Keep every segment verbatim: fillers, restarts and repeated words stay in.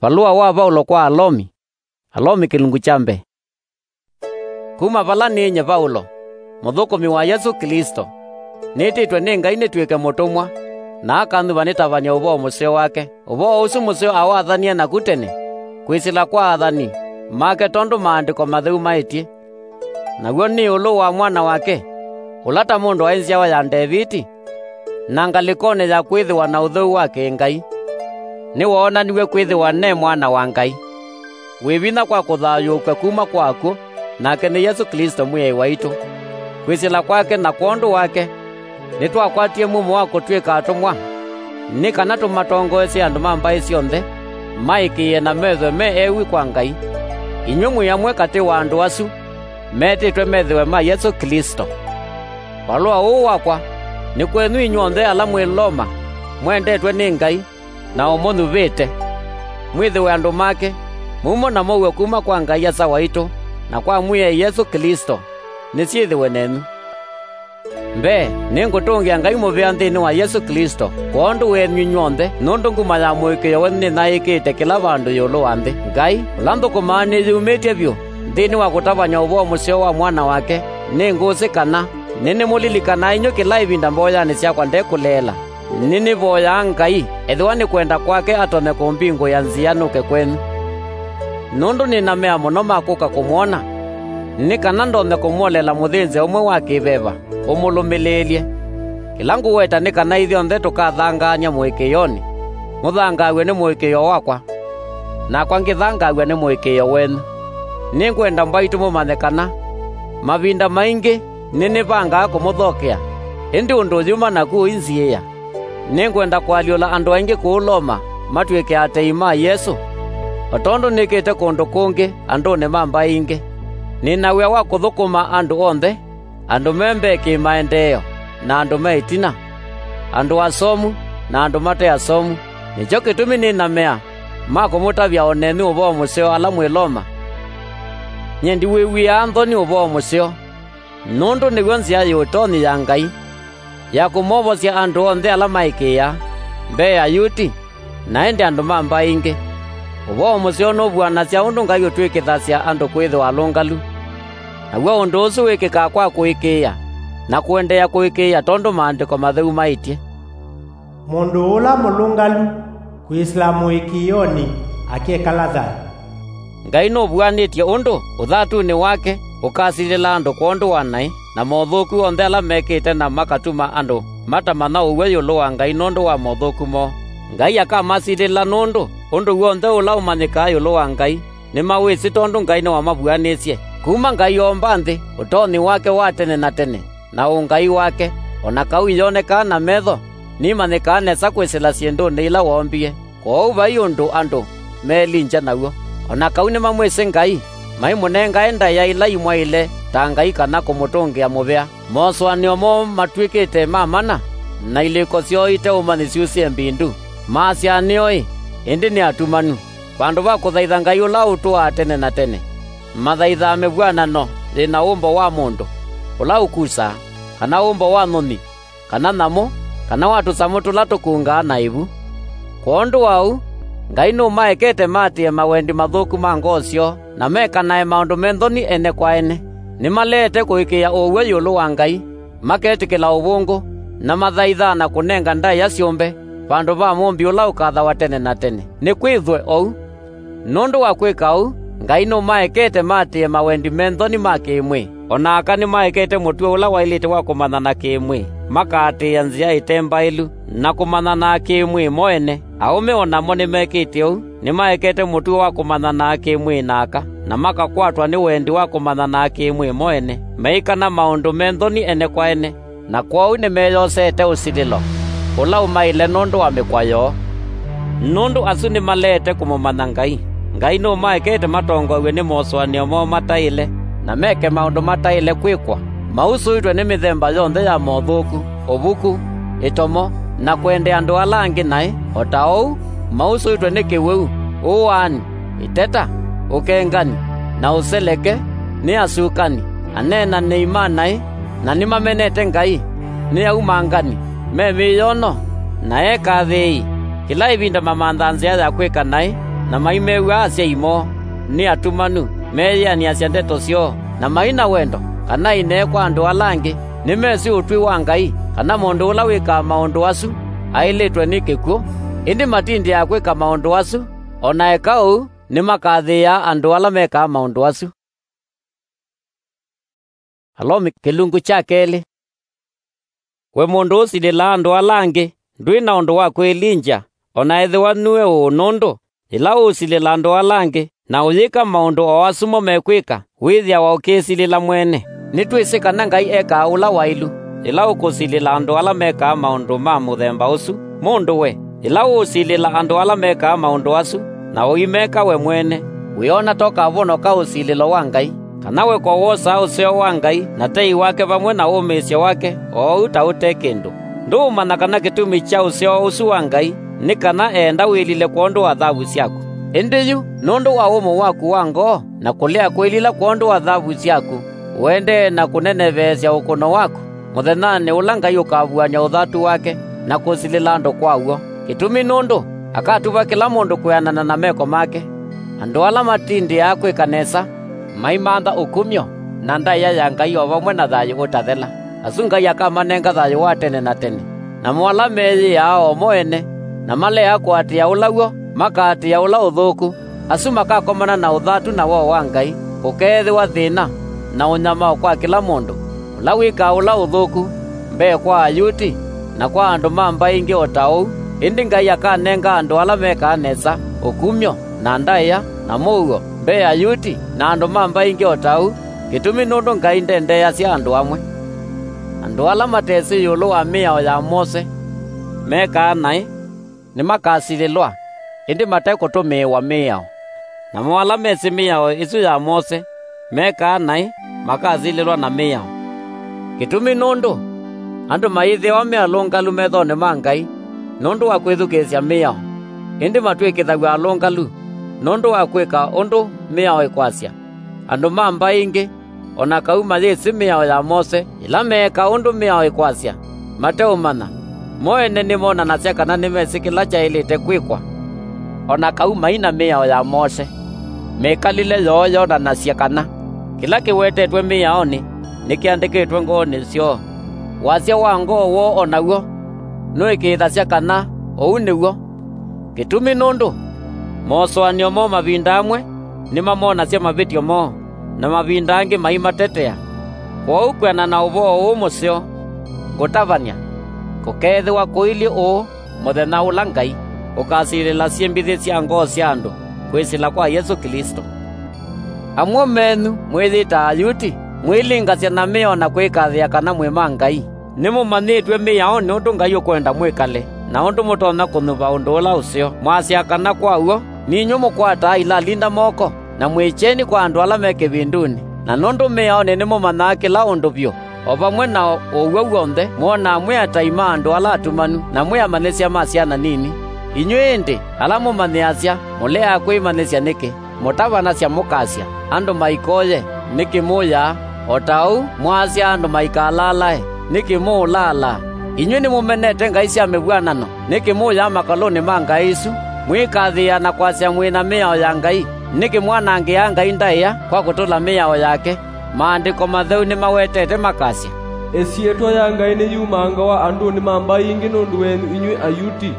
Valũa wa Vaulo kwa Alomi. Alomi kĩlungu kya mbee. Kuma vala nĩ nyie Vaulo, mũthũkũmi wa Yesũ Klĩsto, nĩtĩtwe nĩ Ngai nĩtw'ĩke mũtũmwa, na akanyuva nĩtavany'e ũvoo mũseo wake, ũvoo ũsu mũseo awathanie naku tene, kwĩsĩla kwa athani make, tondũ Maandĩko Matheu maĩtye, naw'o nĩ ĩũlũ wa Mwana wake, ũla ta mũndũ aĩ nzyawa ya Ndeviti, na ngalĩkonĩ ya kwĩthĩwa na ũtheu wa kĩ-Ngai, nĩwoonaniw'e kwĩthĩwa ne Mwana wa Ngai, wĩ vinya kwa kũthayũũkw'a kuma kwa akw'ũ, nake nĩ Yesũ Klĩsto Mwĩai waitũ. Kwĩsĩla kwake na kwondũ wake, nĩtwakwatie mumo wa kũtw'ĩka atũmwa, nĩ kana tũmatongoesye andũ ma mbaĩ syonthe maĩkĩĩe na methwe me ewi kwa Ngai. Inyw'ĩ mwĩ amwe katĩ wa andũ asu metĩtwe methĩwe ma Yesũ Klĩsto. Valũa ũũ wakwa nĩ kwenyu inyw'onthe ala mwĩ Loma, mwendetwe nĩ Ngai na ũmũnyuvĩte. Mwĩthĩwe andũ make, mumo na mow'e kuma kwa Ngai Asa waitũ na kwa Mwĩai Yesũ Klĩsto, nĩsyĩthĩwe nenyu. Mbee, nĩngũtũngĩa Ngai mũvea nthĩnĩ wa Yesũ Klĩsto kwondũ wenyu inyw'onthe, nũndũ nguma ya mũĩkĩĩo wenyu nĩnyaĩĩkĩte kĩla vandũ ĩũlũ wa nthĩ. Ngai, ũla nthũkũmaa nĩyĩumĩtye vyũ nthĩnĩ wa kũtavany'a ũvoo mũseo wa Mwana wake, nĩngũsĩ kana nĩnĩmũlilikanaa inyw'ĩ kĩla ĩvinda mboyanĩ syakwa ndekũleela. Nĩnĩvoyaa Ngai, ethĩwa nĩ kwenda kwake, atonye kũmbingũĩa nzĩa nũke kwenyu. Nũndũ nĩ na mea mũno ma kũka kũmwona, nĩ kana ndonye kũmwolela mũthĩnzĩo ũmwe wa kĩ-veva ũmũlũmĩlĩĩlye. Kĩla ngũweta nĩ kana ithyonthe tũkathangaany'a mũĩkĩĩonĩ, mũthangaaw'e nĩ mũĩkĩĩo wakwa, nakwa ngĩthangaaw'a nĩ mũĩkĩĩo wenyu. Nĩngwenda mbaitũ mũmanye kana mavinda maingĩ nĩnĩvangaa kũmũthokea, ĩndĩ ũndũ ũyuma naku ũinziĩa. Nĩngwenda kũalyũla andũ aingĩ kũu Loma matw'ĩke atei ma Yesũ, o tondũ nĩkĩte kũndũ kũngĩ andũnĩ ma mbaĩ ingĩ. Nĩ na wĩa wa kũthũkũma andũ onthe, andũ me mbee kĩ-maendeeo, na andũ me ĩtina, andũ asomu, na andũ mate asomu. Nĩkyo kĩtumi nĩ na mea ma kũmũtavya o nenyu ũvoo mũseo ala mwĩ Loma. Nyie ndiwĩw'ĩaa nthoni ũvoo mũseo, nũndũ nĩw'o nzĩa yĩ ũtonyi ya Ngai, ya kũmovosya andũ onthe ala maĩkĩĩaa, mbee Ayuti, na ĩndĩ andũ ma mbaĩ ingĩ. Ũvoo mũseo nũvuanasya ũndũ Ngai ũtw'ĩkĩthasya andũ kwĩthĩwa alũngalu. Naw'o ũndũ ũsu wĩkĩkaa kwa kũĩkĩĩa, na kũendeea kũĩkĩĩa tondũ Maandĩko Matheu maĩtye, "Mũndũ ũla mũlũngalu kwĩsĩla mũĩkĩĩonĩ akekala thayũ." Ngai nũvuanĩtye ũndũ ũthatunĩ wake ũkasilĩla andũ kwondũ wa naĩ, na mothũku onthe ala mekĩte na makatuma andũ matamanya ũw'o ĩũlũ wa Ngai nũndũ wa mothũku moo. Ngai akamasilĩla nũndũ ũndũ w'onthe ũla ũmanyĩkaa ĩũlũ wa Ngai nĩmawĩsĩ, tondũ Ngai nĩwamavuanĩsye. Kuma Ngai oomba nthĩ, ũtonyi wake wa tene na tene, na ũngai wake, o na kau iyonekaa na metho, nimanyĩkaa nesa kwĩsĩla syĩndũnĩ ila woombie. Kwoou vai ũndũ andũ meelingya naw'o. O na kau nĩmamwĩsĩ Ngai, maimũnengae ndaĩa ila imwaĩle ta ngai kana kũmũtũngĩa mũvea. Mosũanĩo moo matw'ĩkĩte ma mana, na ilĩko syoo ite ũmanyi syusĩe mbindu. Maasya nĩo-ĩ, ĩndĩ nĩ atumanu. Vandũ va kũthaitha Ngai ũla ũtũaa tene na tene, mathaithaa mĩvw'anano yĩ na ũmbo wa mũndũ ũla ũkusaa, kana ũmbo wa nyũnyi, kana nyamũ, kana wa tũsamũ tũla tũkungaa na ĩvu. Kwondũ wa ũu, Ngai nũmaekete maatĩĩe mawendi mathũku ma ngoo syoo, na mekanae maũndũ me nthoni ene kwa ene. Nĩmaleete kũĩkĩĩa ũw'o ĩũlũ wa Ngai, maketĩkĩla ũvũngũ, na mathaithaa na kũnenga ndaĩa syũmbe vandũ va Mũmbi ũla ũkathawa tene na tene. Nĩkwĩthwe ou. Nũndũ wa kwĩka ũu, Ngai nũmaekete maatĩĩe mawendi me nthoni ma kĩ-mwĩĩ. O na aka nĩmaekete mũtuo ũla waĩlĩte wa kũmanyana kĩ-mwĩĩ, makaatĩĩa nzĩa ĩte mbaĩlu, na kũmanyana kĩ-mwĩĩ mo ene. Aũme o namo nĩmekĩte ũu, nĩmaekete mũtuo wa kũmanyana kĩ-mwĩĩ na aka, na makakwatwa nĩ wendi wa kũmanyana kĩ-mwĩĩ mo ene, meikana maũndũ me nthoni ene kwa ene. Na kwoou nĩmeyosete ũsilĩlo ũla ũmaĩle nũndũ wa mĩkwa yoo. Nũndũ asu nĩmaleete kũmũmanya Ngai. Ngai nũmaekete matongoew'e nĩ mosũanĩo moo mataĩle, na meke maũndũ mataĩle kwĩkwa, mausũĩtwe nĩ mĩthemba yonthe ya mothũku, ũvuku, ĩtomo, na kwendea andũ ala angĩ naĩ, o ta ũu mausũĩtwe nĩ kĩwĩu, ũaani, ĩteta, ũkengani, na ũseleke, nĩ asukani, aneenanĩi ma naĩ, na nĩmamenete Ngai, nĩ aumangani, me mĩyono, na ekathĩĩi, kĩla ĩvinda mamanthaa nzĩa ya kwĩka naĩ, na maimew'a asyai moo, nĩ atumanu, meyĩanĩasya ndeto syoo, na mai na wendo, kana ainee kwa andũ ala angĩ, nĩmesĩ ũtwi wa Ngai, kana mũndũ ũla wĩkaa maũndũ asu aĩlĩtwe nĩ kĩkw'ũ. Ĩndĩ matindĩaa kwĩka maũndũ asu, o na eka ũu, nĩmakathĩĩa andũ ala mekaa maũndũ asu. Alomi kĩlungu kya kelĩ. We mũndũ ũsilĩlaa andũ ala angĩ, ndwĩ na ũndũ wa kwĩlingya, o na ethĩwa nue ũũ, nũndũ yĩla ũũsilĩla andũ ala angĩ, na ũyĩka maũndũ o asu mo mekwĩka, wĩthĩawa ũkĩĩsilĩla mwene. Nĩtwĩsĩ kana Ngai ekaa ũla waĩlu yĩla ũkũsilĩla andũ ala mekaa maũndũ ma mũthemba ũsu. Mũndũ we, yĩla ũũsilĩla andũ ala mekaa maũndũ asu, na ũimeka we mwene, wĩona ta ũkavonoka ũsilĩlo wa Ngai? Kana we ko wosaa ũseo wa Ngai na tei wake vamwe na ũmĩĩsyo wake o ũu ta ũte kĩndũ? Ndũũmanya kana kĩtumi kya ũseo ũsu wa Ngai nĩ kana eenda wĩlile kwondũ wa thavu syaku? Ĩndĩ yu, nũndũ wa ũmũ waku wa ngoo na kũlea kwĩlila kwondũ wa thavu syaku, ũendee na kũneneveesya ũkũno waku, mũthenyanĩ ũla Ngai ũkavuany'a ũthatu wake na kũsilĩla andũ kwa w'o. Kĩtumi nũndũ akatuva kĩla mũndũ kwĩanana na meko make. Andũ ala matindĩaa kwĩka nesa maimantha ũkumyo na ndaĩa ya Ngai o vamwe na thayũ ũtathela. Asu Ngai akamanenga thayũ wa tene na tene. Namo ala meyĩaa o mo ene na malea kũatĩĩa ũla w'o makaatĩĩa ũla ũthũku, asu makakomana na ũthatu na woo wa Ngai, kũkeethĩwa thĩna na ũnyamao kwa kĩla mũndũ, ũla wĩkaa ũla ũthũku, mbee kwa Ayuti na kwa andũ ma mbaĩ ingĩ o ta ũu. Ĩndĩ Ngai akanenga andũ ala mekaa nesa ũkumyo na ndaĩa na mũuo mbee Ayuti na andũ ma mbaĩ ingĩ o ta ũu, kĩtumi nũndũ Ngai ndendeeasya andũ amwe. Andũ ala matesĩ ĩũlũ wa mĩao ya Mose mekaa naĩ nĩmakasilĩlwa, ĩndĩ mate kũtũmĩĩwa mĩao. Namo ala mesĩ mĩao ĩsu ya Mose mekaa naĩ makasilĩlwa na mĩao. Kĩtumi nũndũ andũ mayĩthĩawa me alũngalu methonĩ ma Ngai nũndũ wa kwĩthukĩĩsya mĩao, ĩndĩ matw'ĩkĩthaw'a alũngalu nũndũ wa kwĩka ũndũ mĩao ĩkwasya. Andũ ma mbaĩ ingĩ o na kau mayĩsĩ mĩao ya Mose, yĩla meeka ũndũ mĩao ĩkwasya mateũmanya, mo ene nĩmonanasya kana nĩmesĩ kĩla kyaĩlĩte kwĩkwa. O na kau mai na mĩao ya Mose, mĩkalĩle yoo yonanasya kana kĩla kĩwetetwe mĩaonĩ nĩkĩandĩkĩtwe ngoonĩ syoo. Wasya wa ngoo woo o naw'o nũĩkĩĩthasya kana ũu nĩw'o. Kĩtumi nũndũ mosũanĩo moo mavinda amwe nĩmamonasya mavĩtyo moo, na mavinda angĩ maimatetea. Kwoou kwĩanana na ũvoo ũũ mũseo ngũtavany'a, kũkeethĩwa kũilyĩ ũũ mũthenya ũla Ngai ũkasilĩla syĩmbĩthĩ sya ngoo sya andũ kwĩsĩla kwa Yesũ Klĩsto. Amwe menyu mwĩyĩtaa Ayuti, mwĩlingasya na mĩao na kwĩkathĩa kana mwĩ ma Ngai. Nĩmũmanyĩtw'e mĩaonĩ ũndũ Ngai ũkwenda mwĩkale, na ũndũ mũtonya kũnyuva ũndũ ũla ũseo. Mwasya kana kwa w'o, ninyw'ĩ mũkwataa ilalinda moko, na mwĩkyeni kwa andũ ala me kĩvindunĩ. Na nũndũ mĩaonĩ nĩmũmanyaa kĩla ũndũ vyũ, o vamwe na ũw'o w'onthe, mwonaa mwĩ atai ma andũ ala atumanu, na mwĩ amanyĩsya ma syana nini. Inyw'ĩ ĩndĩ, ala mũmanyĩasya, mũleaa kwĩmanyĩsya nĩkĩ? Mũtavanasya mũkasya, "Andũ maikoye," nĩkĩ mũũyaa? O ta ũu mwaasya, "Andũ maikalalae," nĩkĩ mũũlaalaa? Inyw'ĩ nĩmũmenete ngai sya mĩvw'anano, nĩkĩ mũũyaa makalũnĩ ma ngai isu? Mwĩkathĩĩa na kwasya mwĩ na mĩao ya Ngai, nĩkĩ mwanangĩaa Ngai ndaĩa kwa kũtũla mĩao yake? Maandĩko Matheu nĩmawetete makasya, "Ĩsyĩtwa ya Ngai nĩyumangawa andũnĩ ma mbaĩ ingĩ nũndũ wenyu inyw'ĩ Ayuti."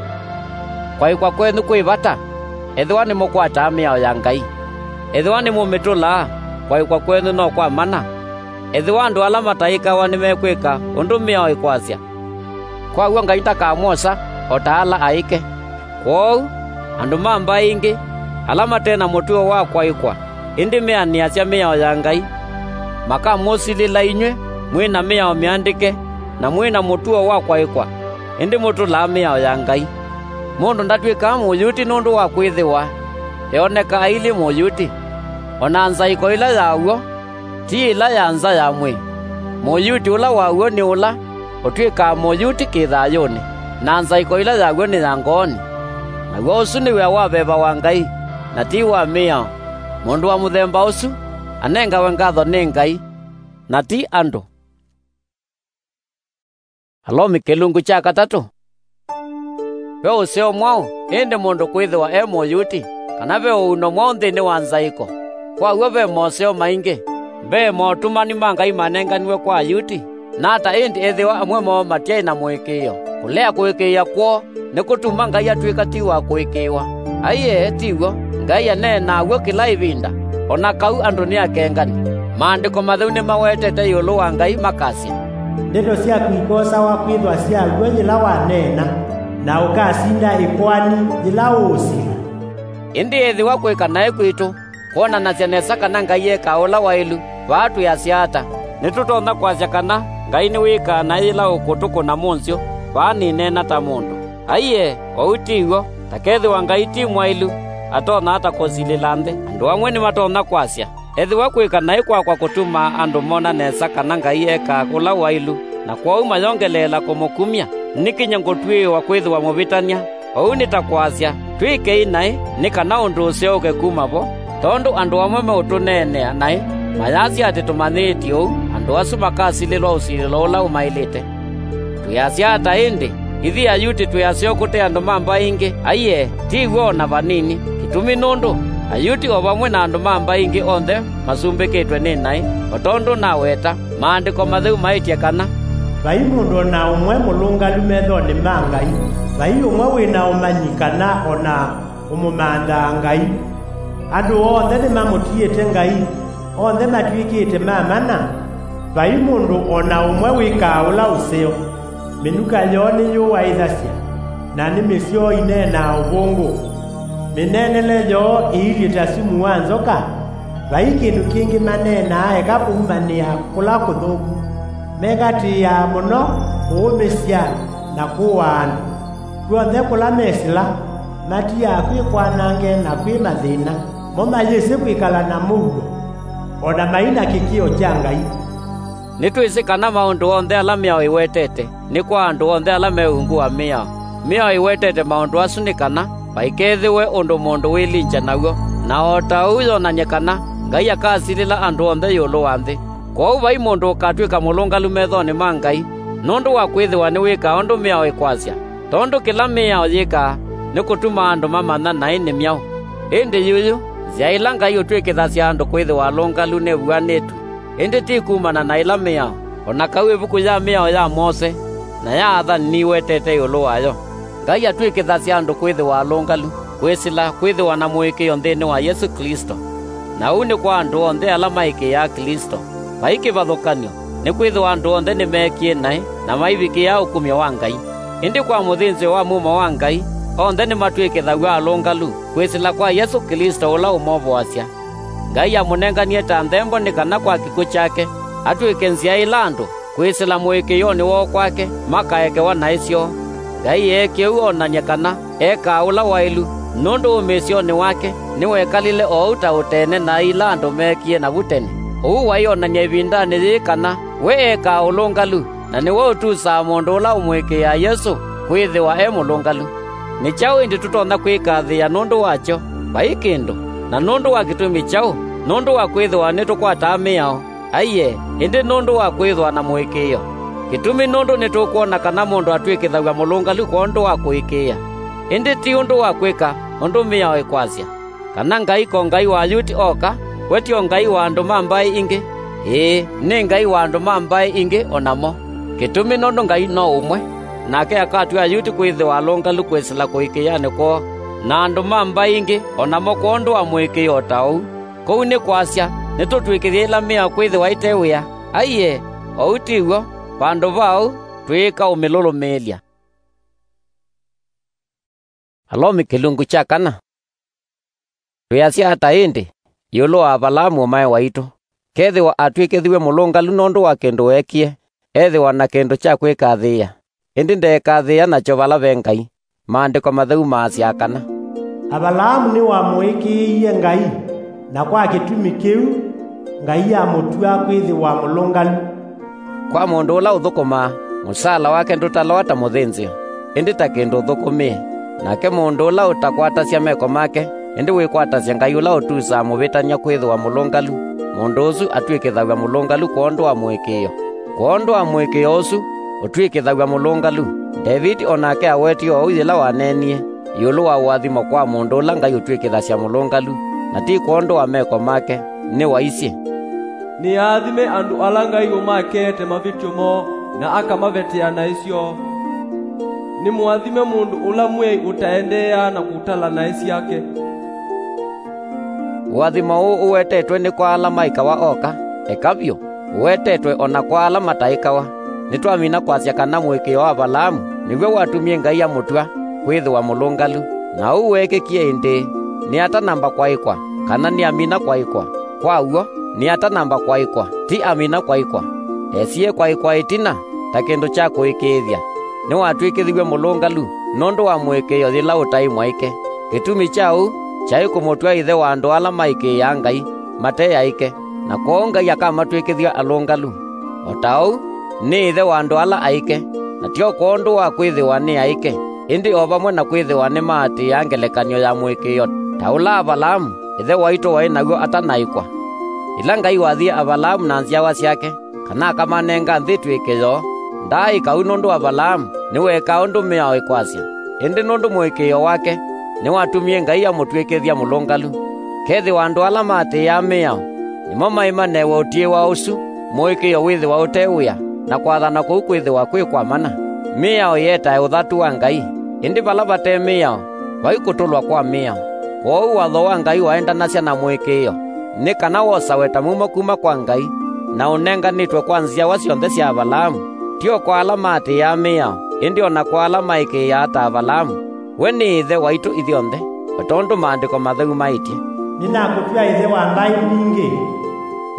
Kwaĩkwa kwenyu kwĩ vata, ethĩwa nĩmũkwataa mĩao ya Ngai. Ethĩwa nĩmũmĩtũlaa, kwaĩkwa kwenyu no kwa mana. Ethĩwa andũ ala mataĩkawa nĩmekwĩka ũndũ mĩao ĩkwasya, kwa w'o Ngai ndakamwosa o ta ala aĩke. Kwoou, andũ ma mbaĩ ingĩ, ala mate na mũtuo wa kwaĩkwa, ĩndĩ meanĩasya mĩao ya Ngai, makamũsilĩla inyw'ĩ mwĩ na mĩao mĩandĩke na mwĩ na mũtuo wa kwaĩkwa, ĩndĩ mũtũlaa mĩao ya Ngai. Mũndũ ndatw'ĩkaa Mũyuti nũndũ wa kwĩthĩwa eoneka ailyĩ Mũyuti. O na nzaĩko ĩla ya w'o ti ĩla ya nza ya mwĩĩ. Mũyuti ũla wa w'o nĩ ũla ũtw'ĩkaa Mũyuti kĩ-thayũnĩ, na nzaĩko ĩla ya w'o nĩ ya ngoonĩ. Naw'o ũsu nĩ wĩa wa veva wa Ngai, na ti wa mĩao. Mũndũ wa mũthemba ũsu anengawe ngatho nĩ Ngai, na ti andũ. Alomi kĩlungu kya katatũ. Ve ũseo mwaũ ĩndĩ mũndũ kwĩthĩwa e Mũyuti, kana ve ũuno mwaũ nthĩnĩ wa nzaĩko. Kwa w'o ve moseo maingĩ. Mbee, motũmani ma Ngai manenganiwe kwa Ayuti. Nata ĩndĩ ethĩwa amwe moo matyaĩ na mũĩkĩĩo? Kũlea kũĩkĩĩa kwoo nĩkũtuma Ngai atw'ĩka ti wa kũĩkĩĩwa. Aiee, ti w'o. Ngai aneenaa w'o kĩla ĩvinda, o na kau andũ nĩ akengani. Maandĩko Matheu nĩmawetete ĩũlũ wa Ngai makasya, "Ndeto syaku ikosawa kwĩthwa sya w'o yĩla waneena, na ũkasinda ĩkoani yĩla ũũsila." Ĩndĩ ethĩwa kwĩka naĩ kwitũ kwonanasya nesa kana Ngai ekaa ũla waĩlu, vaa twĩasya ata? Nĩtũtonya kwasya kana Ngai nĩwĩkaa naĩ yĩla ũkũtũkũna mũnzyũ vaa nĩneena ta mũndũ? Aiee, ũu ti w'o. Ta kethĩwa Ngai ti mwaĩlu, atonya ata kũsilĩla nthĩ? Andũ amwe nĩmatonya kwasya, "Ethĩwa kwĩka naĩ kwakwa kũtumaa andũ mona nesa kana Ngai ekaa ũla waĩlu, na kwoou mayongeleela kũmũkumya, nĩkinyie ngũtw'ĩĩwa kwĩthĩwa mũvĩtany'a." Ũu nĩ ta kwasya, "Twĩkei naĩ nĩ kana ũndũ ũseũke kuma vo." Tondũ andũ amwe meũtũneenea naĩ, mayasya atĩ tũmanyĩĩtye ũu, andũ asu makasilĩlwa ũsilĩlo ũla ũmaĩlĩte. Twĩasya ata ĩndĩ? Ithyĩ Ayuti twĩ aseo kũte andũ ma mbaĩ ingĩ? Aiee, ti w'o o na vanini. Kĩtumi nũndũ Ayuti o vamwe na andũ ma mbaĩ ingĩ onthe masumbĩkĩtwe nĩ naĩ, o tondũ naweta. Maandĩko Matheu maĩtye kana, "Vai mũndũ o na ũmwe mũlũngalu methonĩ ma Ngai, vai ũmwe wĩ na ũmanyi kana o na ũmũmanthaa Ngai. Andũ onthe nĩmamũtiĩte Ngai, onthe matw'ĩkĩte ma mana, vai mũndũ o na ũmwe wĩkaa ũla ũseo. Mĩnuka yoo nĩyũaĩthasya, na nĩmĩ syoo ineenaa ũvũngũ. Mĩneenele yoo ĩilyĩ ta sumu wa nzoka. Vai kĩndũ kĩngĩ maneenaa eka kũumanĩa kũla kũthũku. Mekatĩĩaa mũno kũũmĩsya na kũaa andũ. Kw'onthe kũla mesĩla, matiaa kwĩ kwanange na kwĩ mathĩna. Mo mayĩsĩ kwĩkala na mũuo, o na mai na kĩkĩo kya Ngai." Nĩtwĩsĩ kana maũndũ onthe ala mĩao ĩwetete nĩ kwa andũ onthe ala me ungu wa mĩao. Mĩao ĩwetete maũndũ asu nĩ kana vaikethĩwe ũndũ mũndũ wĩlingya naw'o, na o ta ũu yonany'e kana Ngai akasilĩla andũ onthe ĩũlũ wa nthĩ. Kwoou vai mũndũ ũkatw'ĩka mũlũngalu methonĩ ma Ngai nũndũ wa kwĩthĩwa nĩwĩkaa ũndũ mĩao ĩkwasya, tondũ kĩla mĩao yĩkaa nĩ kũtuma andũ mamanya naĩ nĩ myaũ. Ĩndĩ yuyu, nzĩa ĩla Ngai ũtw'ĩkĩthasya andũ kwĩthĩwa alũngalu nĩvuanĩtw'e, ĩndĩ ti kumana na ĩla mĩao, o na kau ĩvuku ya mĩao ya Mose na ya athani nĩwetete ĩũlũ wayo. Ngai atw'ĩkĩthasya andũ kwĩthĩwa alũngalu kwĩsĩla kwĩthĩwa na mũĩkĩĩo nthĩnĩ wa Yesũ Klĩsto. Na ũu nĩ kwa andũ onthe ala maĩkĩĩaa Klĩsto. Vai kĩvathũkany'o, nĩkwĩthĩwa andũ onthe nĩmeekie naĩ na maivikĩĩa ũkumyo wa Ngai. Ĩndĩ kwa mũthĩnzĩo wa mumo wa Ngai, onthe nĩmatw'ĩkĩthaw'a alũngalu kwĩsĩla kwa Yesũ Klĩsto ũla ũmovoasya. Ngai amũnenganie ta nthembo nĩ kana kwa kĩkw'ũ kyake atw'ĩke nzĩa ĩla andũ kwĩsĩla mũĩkĩĩonĩ woo kwake makaekewa naĩ syoo. Ngai eekie ũu onany'e kana ekaa ũla waĩlu, nũndũ ũmĩĩsyonĩ wake nĩwekalile o ũu ta ũteene naĩ ila andũ meekie navu tene. Ũu waionany'a ĩvindanĩ yĩĩ kana we ekaa ũlũngalu, na nĩwe ũtusaa mũndũ ũla ũmũĩkĩĩaa Yesũ kwĩthĩwa e mũlũngalu. Nĩ kyaũ ĩndĩ tũtonya kwĩkathĩĩa nũndũ wakyo? Vai kĩndũ. Na nũndũ wa kĩtumi kyaũ? Nũndũ wa kwĩthĩwa nĩtũkwataa mĩao? Aiee, ĩndĩ nũndũ wa kwĩthwa na mũĩkĩĩo. Kĩtumi nũndũ nĩtũkwona kana mũndũ atw'ĩkĩthaw'a mũlũngalu kwondũ wa kũĩkĩĩa, ĩndĩ ti ũndũ wa kwĩka ũndũ mĩao ĩkwasya. Kana Ngai ko Ngai wa Ayuti oka, we ti o Ngai wa andũ ma mbaĩ ingĩ? Ĩĩ, nĩ Ngai wa andũ ma mbaĩ ingĩ o namo. Kĩtumi nũndũ Ngai no ũmwe, nake akatw'a Ayuti kwĩthĩwa alũngalu kwĩsĩla kũĩkĩĩanĩ kwoo, na andũ ma mbaĩ ingĩ o namo kwondũ wa mũĩkĩĩo o ta ũu. Kũu nĩ kwasya, nĩtũtw'ĩkĩthya ĩla mĩao kwĩthĩwa ĩte wĩa? Aiee, ũu ti w'o! Vandũ va ũu, twĩĩka ũmĩlũlũmĩĩlya. Alomi kĩlungu kya kana. Twĩasya ata ĩndĩ ĩũlũ wa Avalaamu ũmae waitũ? Kethĩwa atw'ĩkĩthiw'e mũlũngalu nũndũ wa kĩndũ weekie, ethĩwa na kĩndũ kya kwĩkathĩĩa, ĩndĩ ndeekathĩĩa nakyo vala ve Ngai. Maandĩko Matheu maasya kana, "Avalaamu nĩwamũĩkĩĩie Ngai, na kwa kĩtumi kĩu Ngai amũtw'a kwĩthĩwa mũlũngalu." Kwa mũndũ ũla ũthũkũmaa, mũsaala wake ndũtalwa ta mũthĩnzĩo, ĩndĩ ta kĩndũ ũthũkũmĩe. Nake mũndũ ũla ũtakwatasya meko make, ĩndĩ wĩkwatasya Ngai ũla ũtusaa mũvĩtany'a kwĩthĩwa mũlũngalu, mũndũ ũsu atw'ĩkĩthaw'a mũlũngalu kwondũ wa mũĩkĩĩo. Kwondũ wa mũĩkĩĩo ũsu ũtw'ĩkĩthaw'a mũlũngalu, Ndeviti o nake awetie oou yĩla waneenie, ĩũlũ wa ũathimo kwa mũndũ ũla Ngai ũtw'ĩkĩthasya mũlũngalu, na ti kwondũ wa meko make, nĩwaisye, "Nĩ aathime andũ ala Ngai ũmakeete mavĩtyo moo, na akamavetea naĩ syoo. Nĩ mũathime mũndũ ũla mwĩai ũtaendeeaa na kũtala naĩ syake." Ũathimo ũũ ũwetetwe nĩ kwa ala maĩkawa oka, eka vyũ, ũwetetwe o na kwa ala mataĩkawa. Nĩtwamina kwasya kana mũĩkĩĩo wa Avalaamu nĩw'o watumie Ngai amũtw'a kwĩthĩwa mũlũngalu. Na ũu weekĩkie ĩndĩĩ, nĩ atanamba kwaĩkwa, kana nĩ amina kwaĩkwa? Kwa w'o, nĩ atanamba kwaĩkwa, ti amina kwaĩkwa. Esie kwaĩkwa ĩtina, ta kĩndũ kya kũĩkĩĩthya, nĩwatw'ĩkĩthiw'e mũlũngalu nũndũ wa mũĩkĩĩo yĩla ũtaĩ mwaĩke. Kĩtumi kya ũu kyaĩ kũmũtw'a ĩthe wa andũ ala maĩkĩĩaa Ngai mate aĩke, na kwoou Ngai akamatw'ĩkĩthya alũngalu. O ta ũu, nĩ ĩthe wa andũ ala aĩke, na tyo kwondũ wa kwĩthĩwa nĩ aĩke, ĩndĩ o vamwe na kwĩthĩwa nĩmaatĩĩa ngelekany'o ya mũĩkĩĩo ta ũla Avalaamu, ĩthe waitũ waĩ naw'o atanaĩkwa. Yĩla Ngai wathie Avalaamu na nzyawa syake, kana akamanenga nthĩ ĩtw'ĩke yoo, ndaaĩka ũu nũndũ Avalaamu nĩweekaa ũndũ mĩao ĩkwasya, ĩndĩ nũndũ mũĩkĩĩo wake nĩwatumie Ngai amũtw'ĩkĩthya mũlũngalu. Kethĩwa andũ ala maatĩĩaa mĩao nĩmo maĩmaneew'a ũtiĩwa ũsu, mũĩkĩĩo wĩthĩwa ũte wĩa, na kwathana kũu kwĩthĩwa kwĩ kwa mana. Mĩao ĩetae ũthatu wa Ngai, ĩndĩ vala vate mĩao, vai kũtũlwa kwa mĩao. Kwoou watho wa Ngai waendanasya na mũĩkĩĩo, nĩ kana wosawe ta muma kuma kwa Ngai, na ũnenganĩtwe kwa nzyawa syonthe sya Avalaamu, ti o kwa ala maatĩĩaa mĩao, ĩndĩ o na kwa ala maĩkĩĩaa ta Avalaamu. We nĩ ĩthe waitũ ithyonthe, o tondũ Maandĩko Matheu maĩtye, "Nĩnakũtw'a ĩthe wa mbaĩ mbingĩ."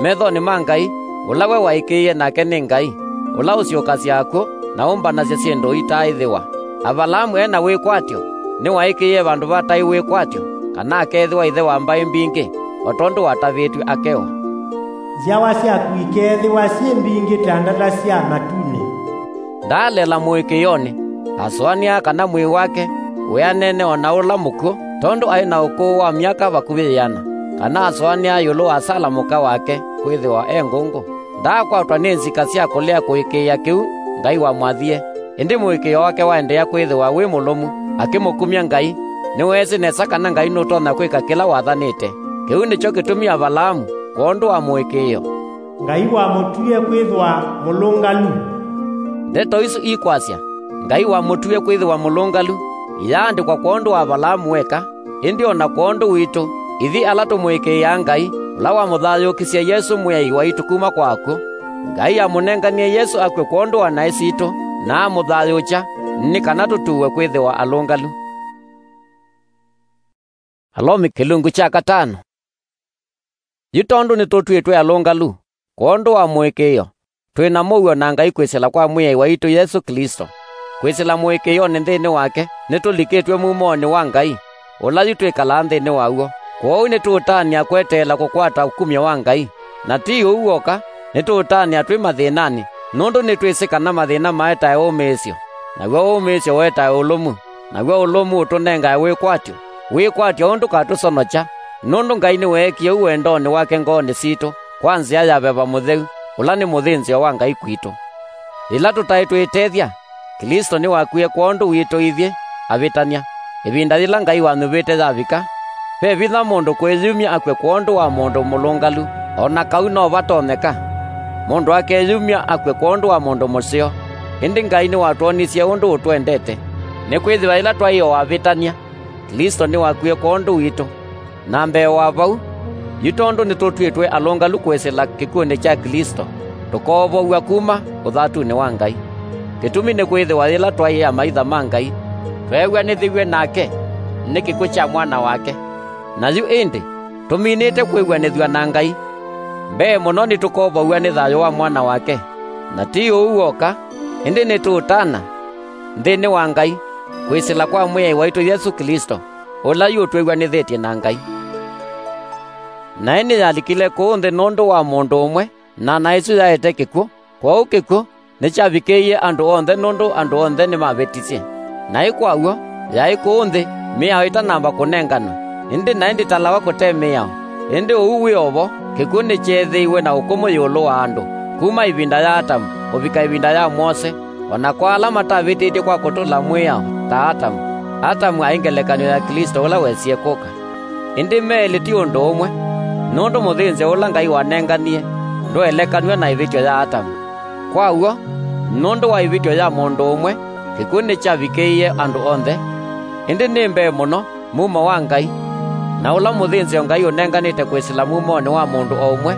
Methonĩ ma Ngai, ũla we waĩkĩĩe nake nĩ Ngai, ũla ũsyũkasya akw'ũ na ũmbanasya syĩndũ itaaĩthĩwa. Avalaamu e na wĩkwatyo nĩwaĩkĩĩe vandũ vataĩ wĩkwatyo, kana akeethĩwa ĩthe wa mbaĩ mbingĩ, o tondũ watavĩtw'e akewa, "Nzyawa syaku ikeethĩwa syĩ mbingĩ ta ndata sya matunĩ." Ndaalela mũĩkĩĩonĩ, asũanĩa kana mwĩĩ wake wĩanene o na ũla mũkw'ũ, tondũ aĩ na ũkũũ wa myaka vakuvĩ ĩana, kana asũanĩa ĩũlũ wa Sala mũka wake kwĩthĩwa e ngũngũ. Ndaakwatwa nĩ nzika sya kũlea kũĩkĩĩa kĩu Ngai wamwathie, ĩndĩ mũĩkĩĩo wake waendeea kwĩthĩwa wĩ mũlũmu, akĩmũkumya Ngai. Nĩweesĩ nesa kana Ngai nũtonya kwĩka kĩla wathanĩte. Kĩu nĩkyo kĩtumi Avalaamu, kwondũ wa mũĩkĩĩo, Ngai wamũtwie kwĩthwa mũlũngalu. Ndeto isu ikwasya, "Ngai wamũtwie kwĩthĩwa mũlũngalu," iyaandĩkwa kwondũ wa Avalaamu weka, ĩndĩ o na kwondũ witũ, ithyĩ ala tũmũĩkĩĩaa Ngai, ũla wamũthayũũkisye Yesũ Mwĩai waitũ kuma kwa akw'ũ. Ngai amũnenganie Yesũ akw'e kwondũ wa naĩ sitũ, na amũthayũũkya, nĩ kana tũtuwe kwĩthĩwa alũngalu. Alomi kĩlungu kya katano. Yu tondũ nĩtũtw'ĩtwe alũngalu kwondũ wa mũĩkĩĩo, twĩ na mũuo na Ngai kwĩsĩla kwa Mwĩai waitũ Yesũ Klĩsto. Kwĩsĩla mũĩkĩĩonĩ nthĩnĩ wake, nĩtũlikĩtw'e mumonĩ wa Ngai, ũla yu twĩkalaa nthĩnĩ waw'o. Kwoou nĩtũũtanĩa kweteela kũkwata ũkumyo wa Ngai. Na ti ũu w'oka, nĩtũũtanĩa twĩ mathĩnanĩ, nũndũ nĩtwĩsĩ kana mathĩna maetae ũmĩĩsyo, naw'o ũmĩĩsyo wetae ũlũmu, naw'o ũlũmu ũtũnengae wĩkwatyo, wĩkwatyo ũũ ndũkatũsonokya, nũndũ Ngai nĩweekie ũu wendonĩ wake ngoonĩ sitũ kwa nzĩa ya Veva Mũtheu, ũla nĩ mũthĩnzĩo wa Ngai kwitũ. Yĩla tũtaĩ twĩtethya, Klĩsto nĩwakwie kwondũ witũ ithyĩ avĩtany'a. Ĩvinda yĩla Ngai wanyuvĩte yavika, ve vinya mũndũ kwĩyumya akw'e kwondũ wa mũndũ mũlũngalu, o na kau no vatonyeka mũndũ akeyumya akw'e kwondũ wa mũndũ mũseo. Ĩndĩ Ngai nĩwatwonisye ũndũ ũtwendete, nĩkwĩthĩwa yĩla twaĩ o avĩtany'a, Klĩsto nĩwakwie kwondũ witũ. Na mbee wa vau, yu tondũ nĩtũtw'ĩtwe alũngalu kwĩsĩla kĩkw'ũnĩ kya Klĩsto, tũkoovow'a kuma ũthatunĩ wa Ngai. Kĩtumi nĩkwĩthĩwa yĩla twaĩ amaitha ma Ngai, tweew'anĩthĩw'e nake nĩ kĩkw'ũ kya Mwana wake. Na yu ĩndĩ, tũminĩte kwĩw'anĩthw'a na Ngai, mbee mũno nĩtũkoovow'a nĩ thayũ wa Mwana wake. Na ti ũu w'oka, ĩndĩ nĩtũũtana nthĩnĩ wa Ngai, kwĩsĩla kwa Mwĩai waitũ Yesũ Klĩsto, ũla yu ũtwĩw'anĩthĩtye na Ngai. Naĩ nĩyalikile kũũ nthĩ nũndũ wa mũndũ ũmwe, na naĩ ĩsu yaete kĩkw'ũ. Kwoou kĩkw'ũ nĩkyavikĩĩie andũ onthe nũndũ andũ onthe nĩmavĩtisye. Naĩ kwa w'o, yaĩ kũũ nthĩ, mĩao ĩtanamba kũnenganwa, ĩndĩ naĩ ndĩtalawa kũte mĩao. Ĩndĩ ũu wĩ o vo, kĩkw'ũ nĩkyeethĩiwe na ũkũmũ ĩũlũ wa andũ, kuma ĩvinda ya Atamu kũvika ĩvinda ya Mose, o na kwa ala matavĩtĩtye kwa kũtũla mwĩao ta Atamu. Atamu aĩ ngelekany'o ya Klĩsto ũla wesie kũka. Ĩndĩ me elĩ ti ũndũ ũmwe, nũndũ mũthĩnzĩo ũla Ngai wanenganie ndwaelekanw'a na ĩvĩtyo ya Atamu. Kwa w'o, nũndũ wa ĩvĩtyo ya mũndũ ũmwe, kĩkw'ũ nĩkyavikĩĩie andũ onthe, ĩndĩ nĩ mbee mũno mumo wa Ngai, na ũla mũthĩnzĩo Ngai ũnenganĩte kwĩsĩla mumonĩ wa mũndũ o ũmwe,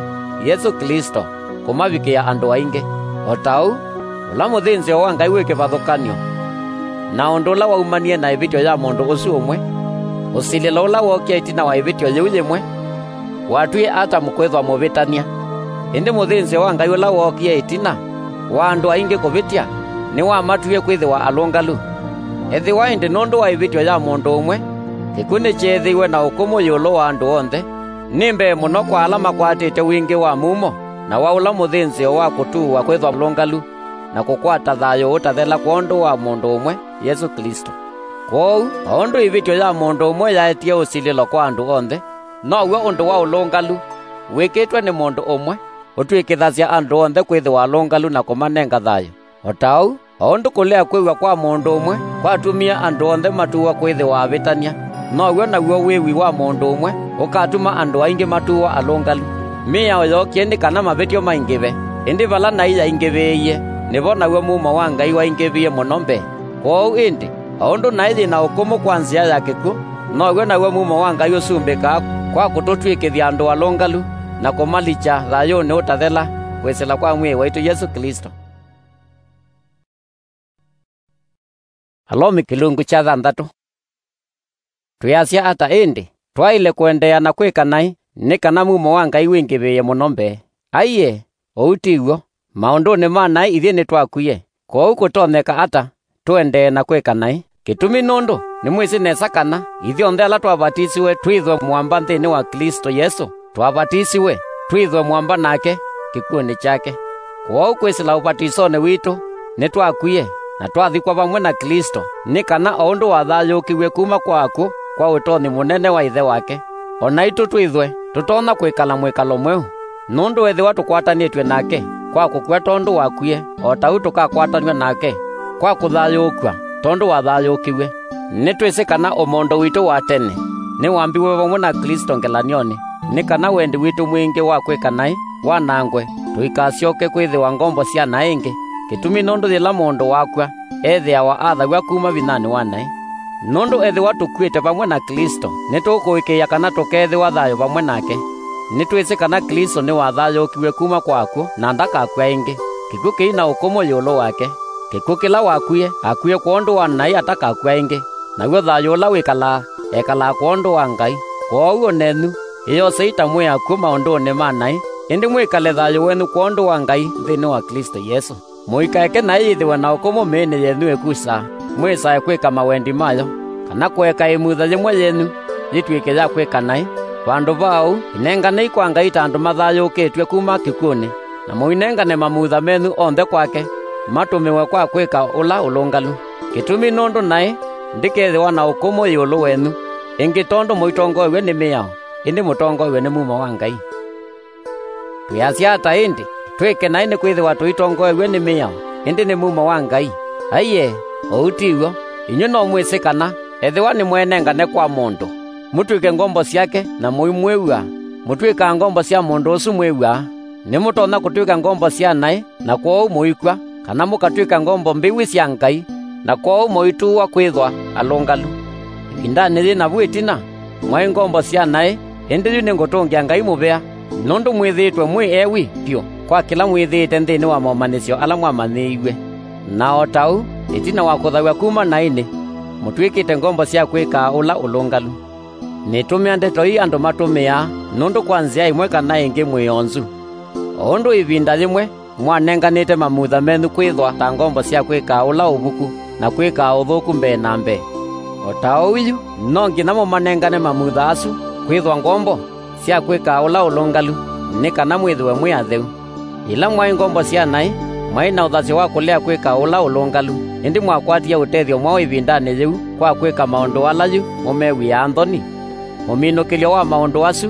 Yesũ Klĩsto, kũmavikĩa andũ aingĩ. O ta ũu, ũla mũthĩnzĩo wa Ngai wĩ kĩvathũkany'o na ũndũ ũla waumanie na ĩvĩtyo ya mũndũ ũsu ũmwe, ũsilĩlo ũla wookie ĩtina wa ĩvĩtyo yĩu yĩmwe, watwie Atamu kwĩthwa mũvĩtany'a. Ĩndĩ mũthĩnzĩo wa Ngai ũla wookie ĩtina wa andũ aingĩ kũvĩtya nĩwamatwie kwĩthĩwa alũngalu. Ethĩwa ĩndĩ nũndũ wa ĩvĩtyo ya mũndũ ũmwe, kĩkw'ũ nĩkyeethĩiwe na ũkũmũ ĩũlũ wa andũ onthe, nĩ mbee mũno kwa ala makwatĩte wingĩ wa mumo na wa ũla mũthĩnzĩo wa kũtuwa kwĩthwa alũngalu na kũkwata thayũ ũtathela kwondũ wa mũndũ ũmwe, Yesũ Klĩsto. Kwoou, o ũndũ ĩvĩtyo ya mũndũ ũmwe yaetie ũsilĩlo kwa andũ onthe, now'o ũndũ wa ũlũngalu wĩkĩtwe nĩ mũndũ ũmwe ũtw'ĩkĩthasya andũ onthe kwĩthĩwa alũngalu na kũmanenga thayũ. O ta ũu, o ũndũ kũlea kwĩw'a kwa mũndũ ũmwe kwatumie andũ onthe matuwa kwĩthĩwa avĩtany'a, now'o naw'o wĩwi wa mũndũ ũmwe ũkatuma andũ aingĩ matuwa alũngalu. Mĩao yookie nĩ kana mavĩtyo maingĩve, ĩndĩ vala naĩ yaingĩvĩĩie, nĩvo naw'o mumo wa Ngai waingĩvie mũno mbee. Kwoou ĩndĩ, o ũndũ naĩ yĩ na ũkũmũ kwa nzĩa ya kĩkw'ũ, now'o naw'o mumo wa Ngai ũsumbĩkaa kwa kũtũtw'ĩkĩthya andũ alũngalu na kũmalikya thayũnĩ ũtathela kwĩsĩla kwa Mwĩai waitũ Yesũ Klĩsto. Alomi kĩlungu kya thanthatũ. Twĩasya ata ĩndĩ? Twaĩle kũendeea na kwĩka naĩ nĩ kana mumo wa Ngai wingĩvĩĩe mũno mbee? Aiee, ũu ti w'o. Maũndũnĩ ma naĩ ithyĩ nĩtwakwie, kwoou kũtonyeka ata tũendee na kwĩka naĩ? Kĩtumi nũndũ nĩmwĩsĩ nesa kana ithyonthe ala twavatisiwe twĩthwe mũamba nthĩnĩ wa Klĩsto Yesũ, twavatisiwe twĩthwe mũamba nake kĩkw'ũnĩ kyake. Kwoou kwĩsĩla ũvatisonĩ witũ nĩtwakwie na twathikwa vamwe na Klĩsto, nĩ kana o ũndũ wathayũũkiw'e kuma kwa akw'ũ kwa ũtonyi mũnene wa Ĩthe wake, o naitũ twĩthwe tũtonya kwĩkala mwĩkalo mweũ. Nũndũ ethĩwa tũkwatanĩtw'e nake kwa kũkw'a tondũ wakwie, o ta ũu tũkakwatanw'a nake kwa kũthayũũkw'a tondũ wathayũũkiw'e. Nĩtwĩsĩ kana ũmondo witũ wa tene nĩwambiwe vamwe na Klĩsto ngelany'onĩ, nĩ kana wendi witũ mwingĩ wa kwĩka naĩ wanangwe, tũikasyoke kwĩthĩwa ngombo sya naĩ ĩngĩ. Kĩtumi nũndũ yĩla mũndũ wakw'a, ethĩawa athaw'a kuma vinyanĩ wa naĩ. Nũndũ ethĩwa tũkw'ĩte vamwe na Klĩsto, nĩtũkũĩkĩĩa kana tũkeethĩwa thayũ vamwe nake. Nĩtwĩsĩ kana Klĩsto nĩwathayũũkiw'e kuma kwa akw'ũ na ndakakw'a ĩngĩ. Kĩkw'ũ kĩi na ũkũmũ ĩũlũ wake. Kĩkw'ũ kĩla wakwie, akwie kwondũ wa naĩ atakakw'a ĩngĩ, naw'o thayũ ũla wĩkalaa, ekalaa kwondũ wa Ngai. Kwoou o nenyu, ĩyosei ta mwĩ akw'ũ maũndũnĩ ma naĩ, ĩndĩ mwĩkale thayũ wenyu kwondũ wa Ngai nthĩnĩ wa Klĩsto Yesũ. Mũikaeke naĩ yĩthĩwe na ũkũmũ mĩĩnĩ yenyu ĩkusaa, mwĩsae kwĩka mawendi mayo, kana kũeka ĩmutha yĩmwe yenyu yĩtw'ĩke ya kwĩka naĩ. Vandũ va ũu, inenganei kwa Ngai ta andũ mathayũũkĩtw'e kuma kĩkw'ũnĩ, na mũinengane mamutha menyu onthe kwake, matũmĩwe kwa kwĩka ũla ũlũngalu. Kĩtumi nũndũ naĩ ndĩkethĩwa na ũkũmũ ĩũlũ wenyu ĩngĩ tondũ mũitongoew'e nĩ mĩao, ĩndĩ mũtongoew'e nĩ mumo wa Ngai. Twĩasya ata ĩndĩ? Twĩke naĩ nĩkwĩthĩwa tũitongoew'e nĩ mĩao, ĩndĩ nĩ mumo wa Ngai? Aiee, ũu ti w'o. Inyw'ĩ no mwĩsĩ kana ethĩwa nĩmweenengane kwa mũndũ, mũtw'ĩke ngombo syake na mũimwĩw'a, mũtw'ĩkaa ngombo sya mũndũ ũsu mwĩw'aa. Nĩmũtonya kũtw'ĩka ngombo sya naĩ, na kwoou mũikw'a, kana mũkatw'ĩka ngombo mbĩwi sya Ngai, na kwoou mũitũũa kwĩthwa alũngalu. Ĩvindanĩ yĩ navu ĩtina, mwaĩ ngombo sya naĩ, ĩndĩ yu nĩngũtũngĩa Ngai mũvea, nũndũ mwĩthĩĩtwe mwĩ ewi vyũ kwa kĩla mwĩthĩĩte nthĩnĩ wa momanyĩsyo ala mwamanyĩiw'e. Na o ta ũu, ĩtina wa kũthaw'a kuma naĩnĩ, mũtw'ĩkĩte ngombo sya kwĩkaa ũla ũlũngalu. Nĩtũmĩa ndeto ii andũ matũmĩaa, nũndũ kwa nzĩa ĩmwe kana ĩngĩ mwĩ onzu. O ũndũ ĩvinda yĩmwe mwanenganĩte mamutha menyu kwĩthwa ta ngombo sya kwĩkaa ũla ũvuku na kwĩkaa ũthũku mbee na mbee, o ta ũu yu no nginya mũmanengane mamutha asu kwĩthwa ngombo sya kwĩkaa ũla ũlũngalu, nĩ kana mwĩthĩwe mwĩ atheu. Yĩla mwaĩ ngombo sya naĩ, mwaĩ na ũthasyo wa kũlea kwĩka ũla ũlũngalu, ĩndĩ mwakwatie ũtethyo mwaũ ĩvindanĩ yĩu kwa kwĩka maũndũ ala yu mũmew'ĩaa nthoni? Mũminũkĩlyo wa maũndũ asu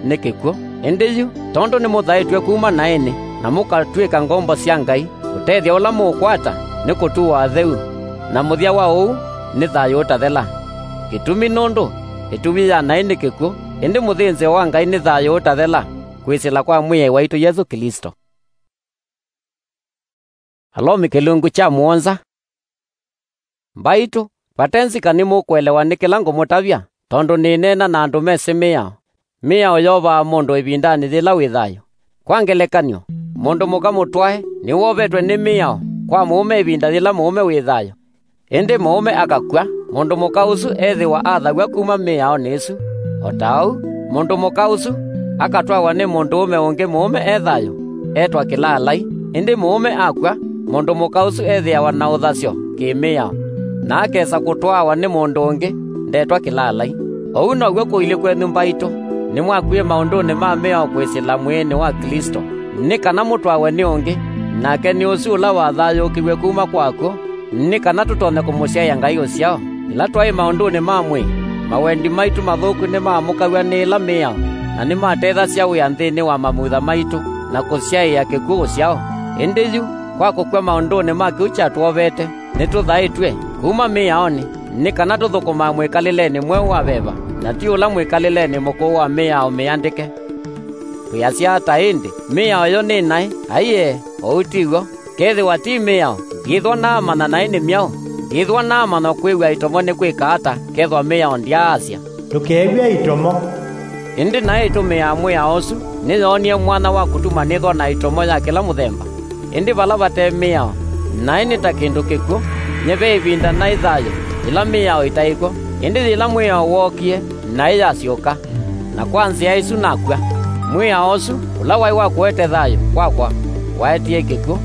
nĩ kĩkw'ũ. Ĩndĩ yu, tondũ nĩmũthaĩtw'e kuma naĩnĩ na mũkatw'ĩka ngombo sya Ngai, ũtethyo ũla mũũkwata nĩ kũtuwa atheu, na mũthya wa ũu nĩ thayũ ũtathela. Kĩtumi nũndũ ĩtuvi ya naĩ nĩ kĩkw'ũ, ĩndĩ mũthĩnzĩo wa Ngai nĩ thayũ ũtathela, kwĩsĩla kwa Mwĩai waitũ Yesũ Klĩsto. Alomi kĩlungu kya mũonza. Mbaitũ, vate nzika nĩmũkũelewa nĩ kĩla ngũmũtavya, tondũ nĩneena na andũ mesĩ mĩao. Mĩao yovaa mũndũ ĩvindanĩ yĩla wĩ thayũ. Kwa ngelekany'o, mũndũ mũka mũtwae nĩwovetwe nĩ mĩao kwa mũũme ĩvinda yĩla mũũme wĩ thayũ. Ĩndĩ mũũme akakw'a, mũndũ mũka ũsu ethĩwa athaw'a kuma mĩaonĩ ĩsu. O ta ũu, mũndũ mũka ũsu akatwawa nĩ mũndũũme ũngĩ mũũme e thayũ, etwa kĩlaalai. Ĩndĩ mũũme akw'a, mũndũ mũka ũsu ethĩawa na ũthasyo kĩ-mĩao, na akesa kũtwawa nĩ mũndũ ũngĩ, ndetwa kĩlaalai. Ũu now'o kũilyĩ kwenyu mbaitũ, nĩmwakwie maũndũnĩ ma mĩao kwĩsĩla mwĩĩnĩ wa Klĩsto, nĩ kana mũtwawe nĩ ũngĩ, nake nĩ ũsu ũla wathayũũkiw'e kuma kwa akw'ũ, nĩ kana tũtonye kũmũsyaĩa Ngai ũsyao. Ĩla twaĩ maũndũnĩ ma mwĩĩ, mawendi maitũ mathũku nĩmaamũkaw'a nĩ ĩla mĩao, na nĩmatethasya wĩa nthĩnĩ wa mamutha maitũ na kũsyaĩa kĩkw'ũ ũsyao. Ĩndĩ yu, kwa kũkw'a maũndũnĩ ma kĩu kyatwovete, nĩtũthaĩtw'e kuma mĩaonĩ, nĩ kana tũthũkũmaa mwĩkalĩlenĩ mweũ wa veva, na ti ũla mwĩkalĩlenĩ mũkũũ wa mĩao mĩandĩke. Twĩasya ata ĩndĩ? Mĩao yo nĩ naĩ? Aiee, ũu ti w'o. Kethĩwa ti mĩao, ngĩthwa naamanya naĩ nĩ myaũ? Ngĩthwa naamanya kwĩw'a ĩtomo nĩ kwĩka ata kethwa mĩao ndyaasya, "Ndũkew'e ĩtomo"? Ĩndĩ naĩ ĩtũmĩaa mwĩao ũsu nĩyoonie mwanya wa kũtuma nĩthwa na ĩtomo ya kĩla mũthemba. Ĩndĩ vala vate mĩao, naĩ nĩ ta kĩndũ kĩkw'ũ. Nye ve ĩvinda naĩ thayũ yĩla mĩao ĩtaĩ kw'o, ĩndĩ yĩla mwĩao wookie, naĩ yasyũka. Na kwa nzĩa ĩsu nakw'a. Mwĩao ũsu, ũla waĩ wa kũete thayũ kwakwa, waetie kĩkw'ũ.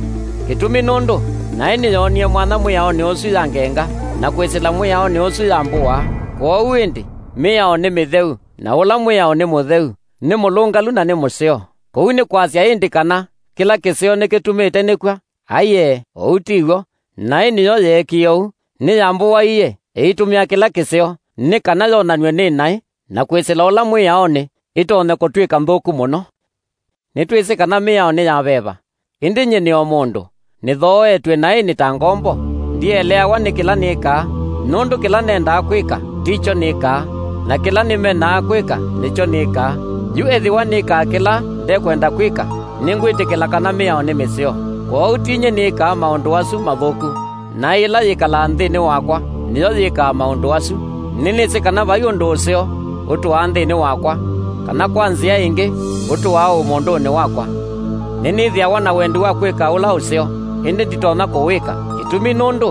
Kĩtumi nũndũ naĩ nĩyoonie mwanya mwĩaonĩ ũsu yangenga, na kwĩsĩla mwĩaonĩ ũsu yambũaa. Kwoou ĩndĩ, mĩao nĩ mĩtheu, na ũla mwĩao nĩ mũtheu, nĩ mũlũngalu na nĩ mũseo. Kũu nĩ kwasya ĩndĩ kana kĩla kĩseo nĩkĩtumĩte nĩkw'a? Aiee, ũu ti w'o. Naĩ nĩyo yeekie ũu, nĩyambũaie ĩitũmĩa kĩla kĩseo, nĩ kana yonanw'e nĩ naĩ, na kwĩsĩla ũla mwĩaonĩ, ĩtonye kũtw'ĩka nthũku mũno. Nĩtwĩsĩ kana mĩao nĩ ya veva, ĩndĩ nyie nĩ o mũndũ, nĩthooetw'e naĩ nĩ ta ngombo. Ndieleawa nĩ kĩla nĩkaa, nũndũ kĩla nendaa kwĩka, ti kyo nĩkaa, na kĩla nĩmenaa kwĩka, nĩkyo nĩkaa. Yu ethĩwa nĩkaa kĩla ndekwenda kwĩka, nĩngwĩtĩkĩla kana mĩao nĩ mĩseo. Kwoou ti nyie nĩkaa maũndũ asu mathũku, naĩ ĩla yĩkalaa nthĩnĩ wakwa nĩyo yĩkaa maũndũ asu. Nĩnĩsĩ kana vai ũndũ ũseo ũtũaa nthĩnĩ wakwa, kana kwa nzĩa ĩngĩ, ũtũaa ũmũndũnĩ wakwa. Nĩnĩthĩawa na wendi wa kwĩka ũla ũseo, ĩndĩ nditonya kũwĩka. Kĩtumi nũndũ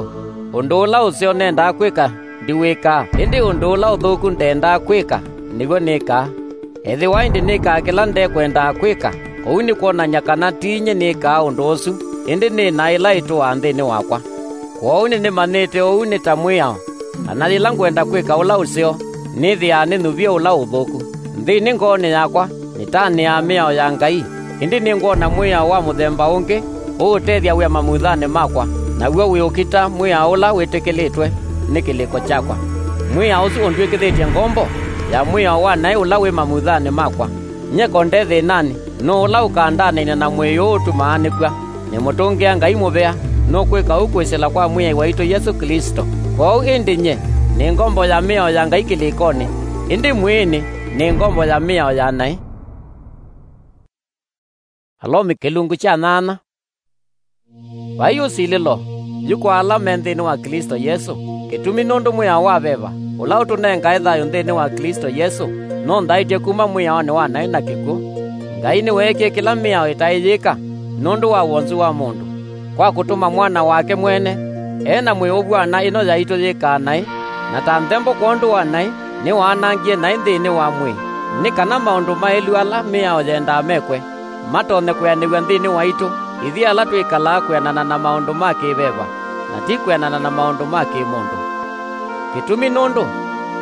ũndũ ũla ũseo nendaa kwĩka ndiwĩkaa, ĩndĩ ũndũ ũla ũthũku ndendaa kwĩka, nĩw'o nĩkaa. Ethĩwa ĩndĩ nĩkaa kĩla ndekwendaa kwĩka, ũu nĩ kwonany'a kana ti nyie nĩkaa ũndũ ũsu, ĩndĩ nĩ naĩ ĩla ĩtũaa nthĩnĩ wakwa. Kwoou nĩnĩmanyĩte ũu nĩ ta mwĩao, kana yĩla ngwenda kwĩka ũla ũseo, nĩthĩaa nĩnyuvie ũla ũthũku. Nthĩnĩ ngoonĩ yakwa nĩtanĩaa mĩao ya Ngai, ĩndĩ nĩngwona mwĩao wa mũthemba ũngĩ ũũtethya wĩa mamuthanĩ makwa, naw'o wĩ ũkita mwĩao ũla wĩtĩkĩlĩtwe nĩ kĩlĩko kyakwa. Mwĩao ũsu ũndw'ĩkĩthĩtye ngombo ya mwĩao wa naĩ ũla wĩ mamuthanĩ makwa. Nyie ko nde thĩnanĩ, nũũ ũla ũkandanĩnĩa na mwĩĩ ũũ ũtumaa nĩkw'a? Nĩmũtũngĩa Ngai mũvea, nũkwĩka ũu kwĩsĩla kwa Mwĩai waitũ Yesũ Klĩsto. Kwoou ĩndĩ nyie nĩ ngombo ya mĩao ya Ngai kĩlĩkonĩ, ĩndĩ mwĩĩnĩ nĩ ngombo ya mĩao ya naĩ. Alomi kĩlungu kya nyanya. Vai ũsilĩlo yu kwa ala me nthĩnĩ wa Klĩsto Yesũ, kĩtumi nũndũ mwĩao wa veva, ũla ũtũnengae thayũ nthĩnĩ wa Klĩsto Yesũ, nũnthaĩtye kuma mwĩaonĩ wa naĩ na kĩkw'ũ. Ngai nĩweekie kĩla mĩao ĩtaĩ yĩka nũndũ wa wonzu wa mũndũ, kwa kũtũma Mwana wake mwene, e na mwĩĩ ũvw'ana ĩno yaitũ yĩkaa naĩ, na ta nthembo kwondũ wa naĩ, nĩwaanangie naĩ nthĩnĩ wa mwĩĩ, nĩ kana maũndũ maĩlu ala mĩao yendaa mekwe, matonye kwĩanĩw'a nthĩnĩ waitũ, ithyĩ ala twĩkalaa kwĩanana na maũndũ ma kĩ-veva, na ti kwĩanana na maũndũ ma kĩ-mũndũ. Kĩtumi nũndũ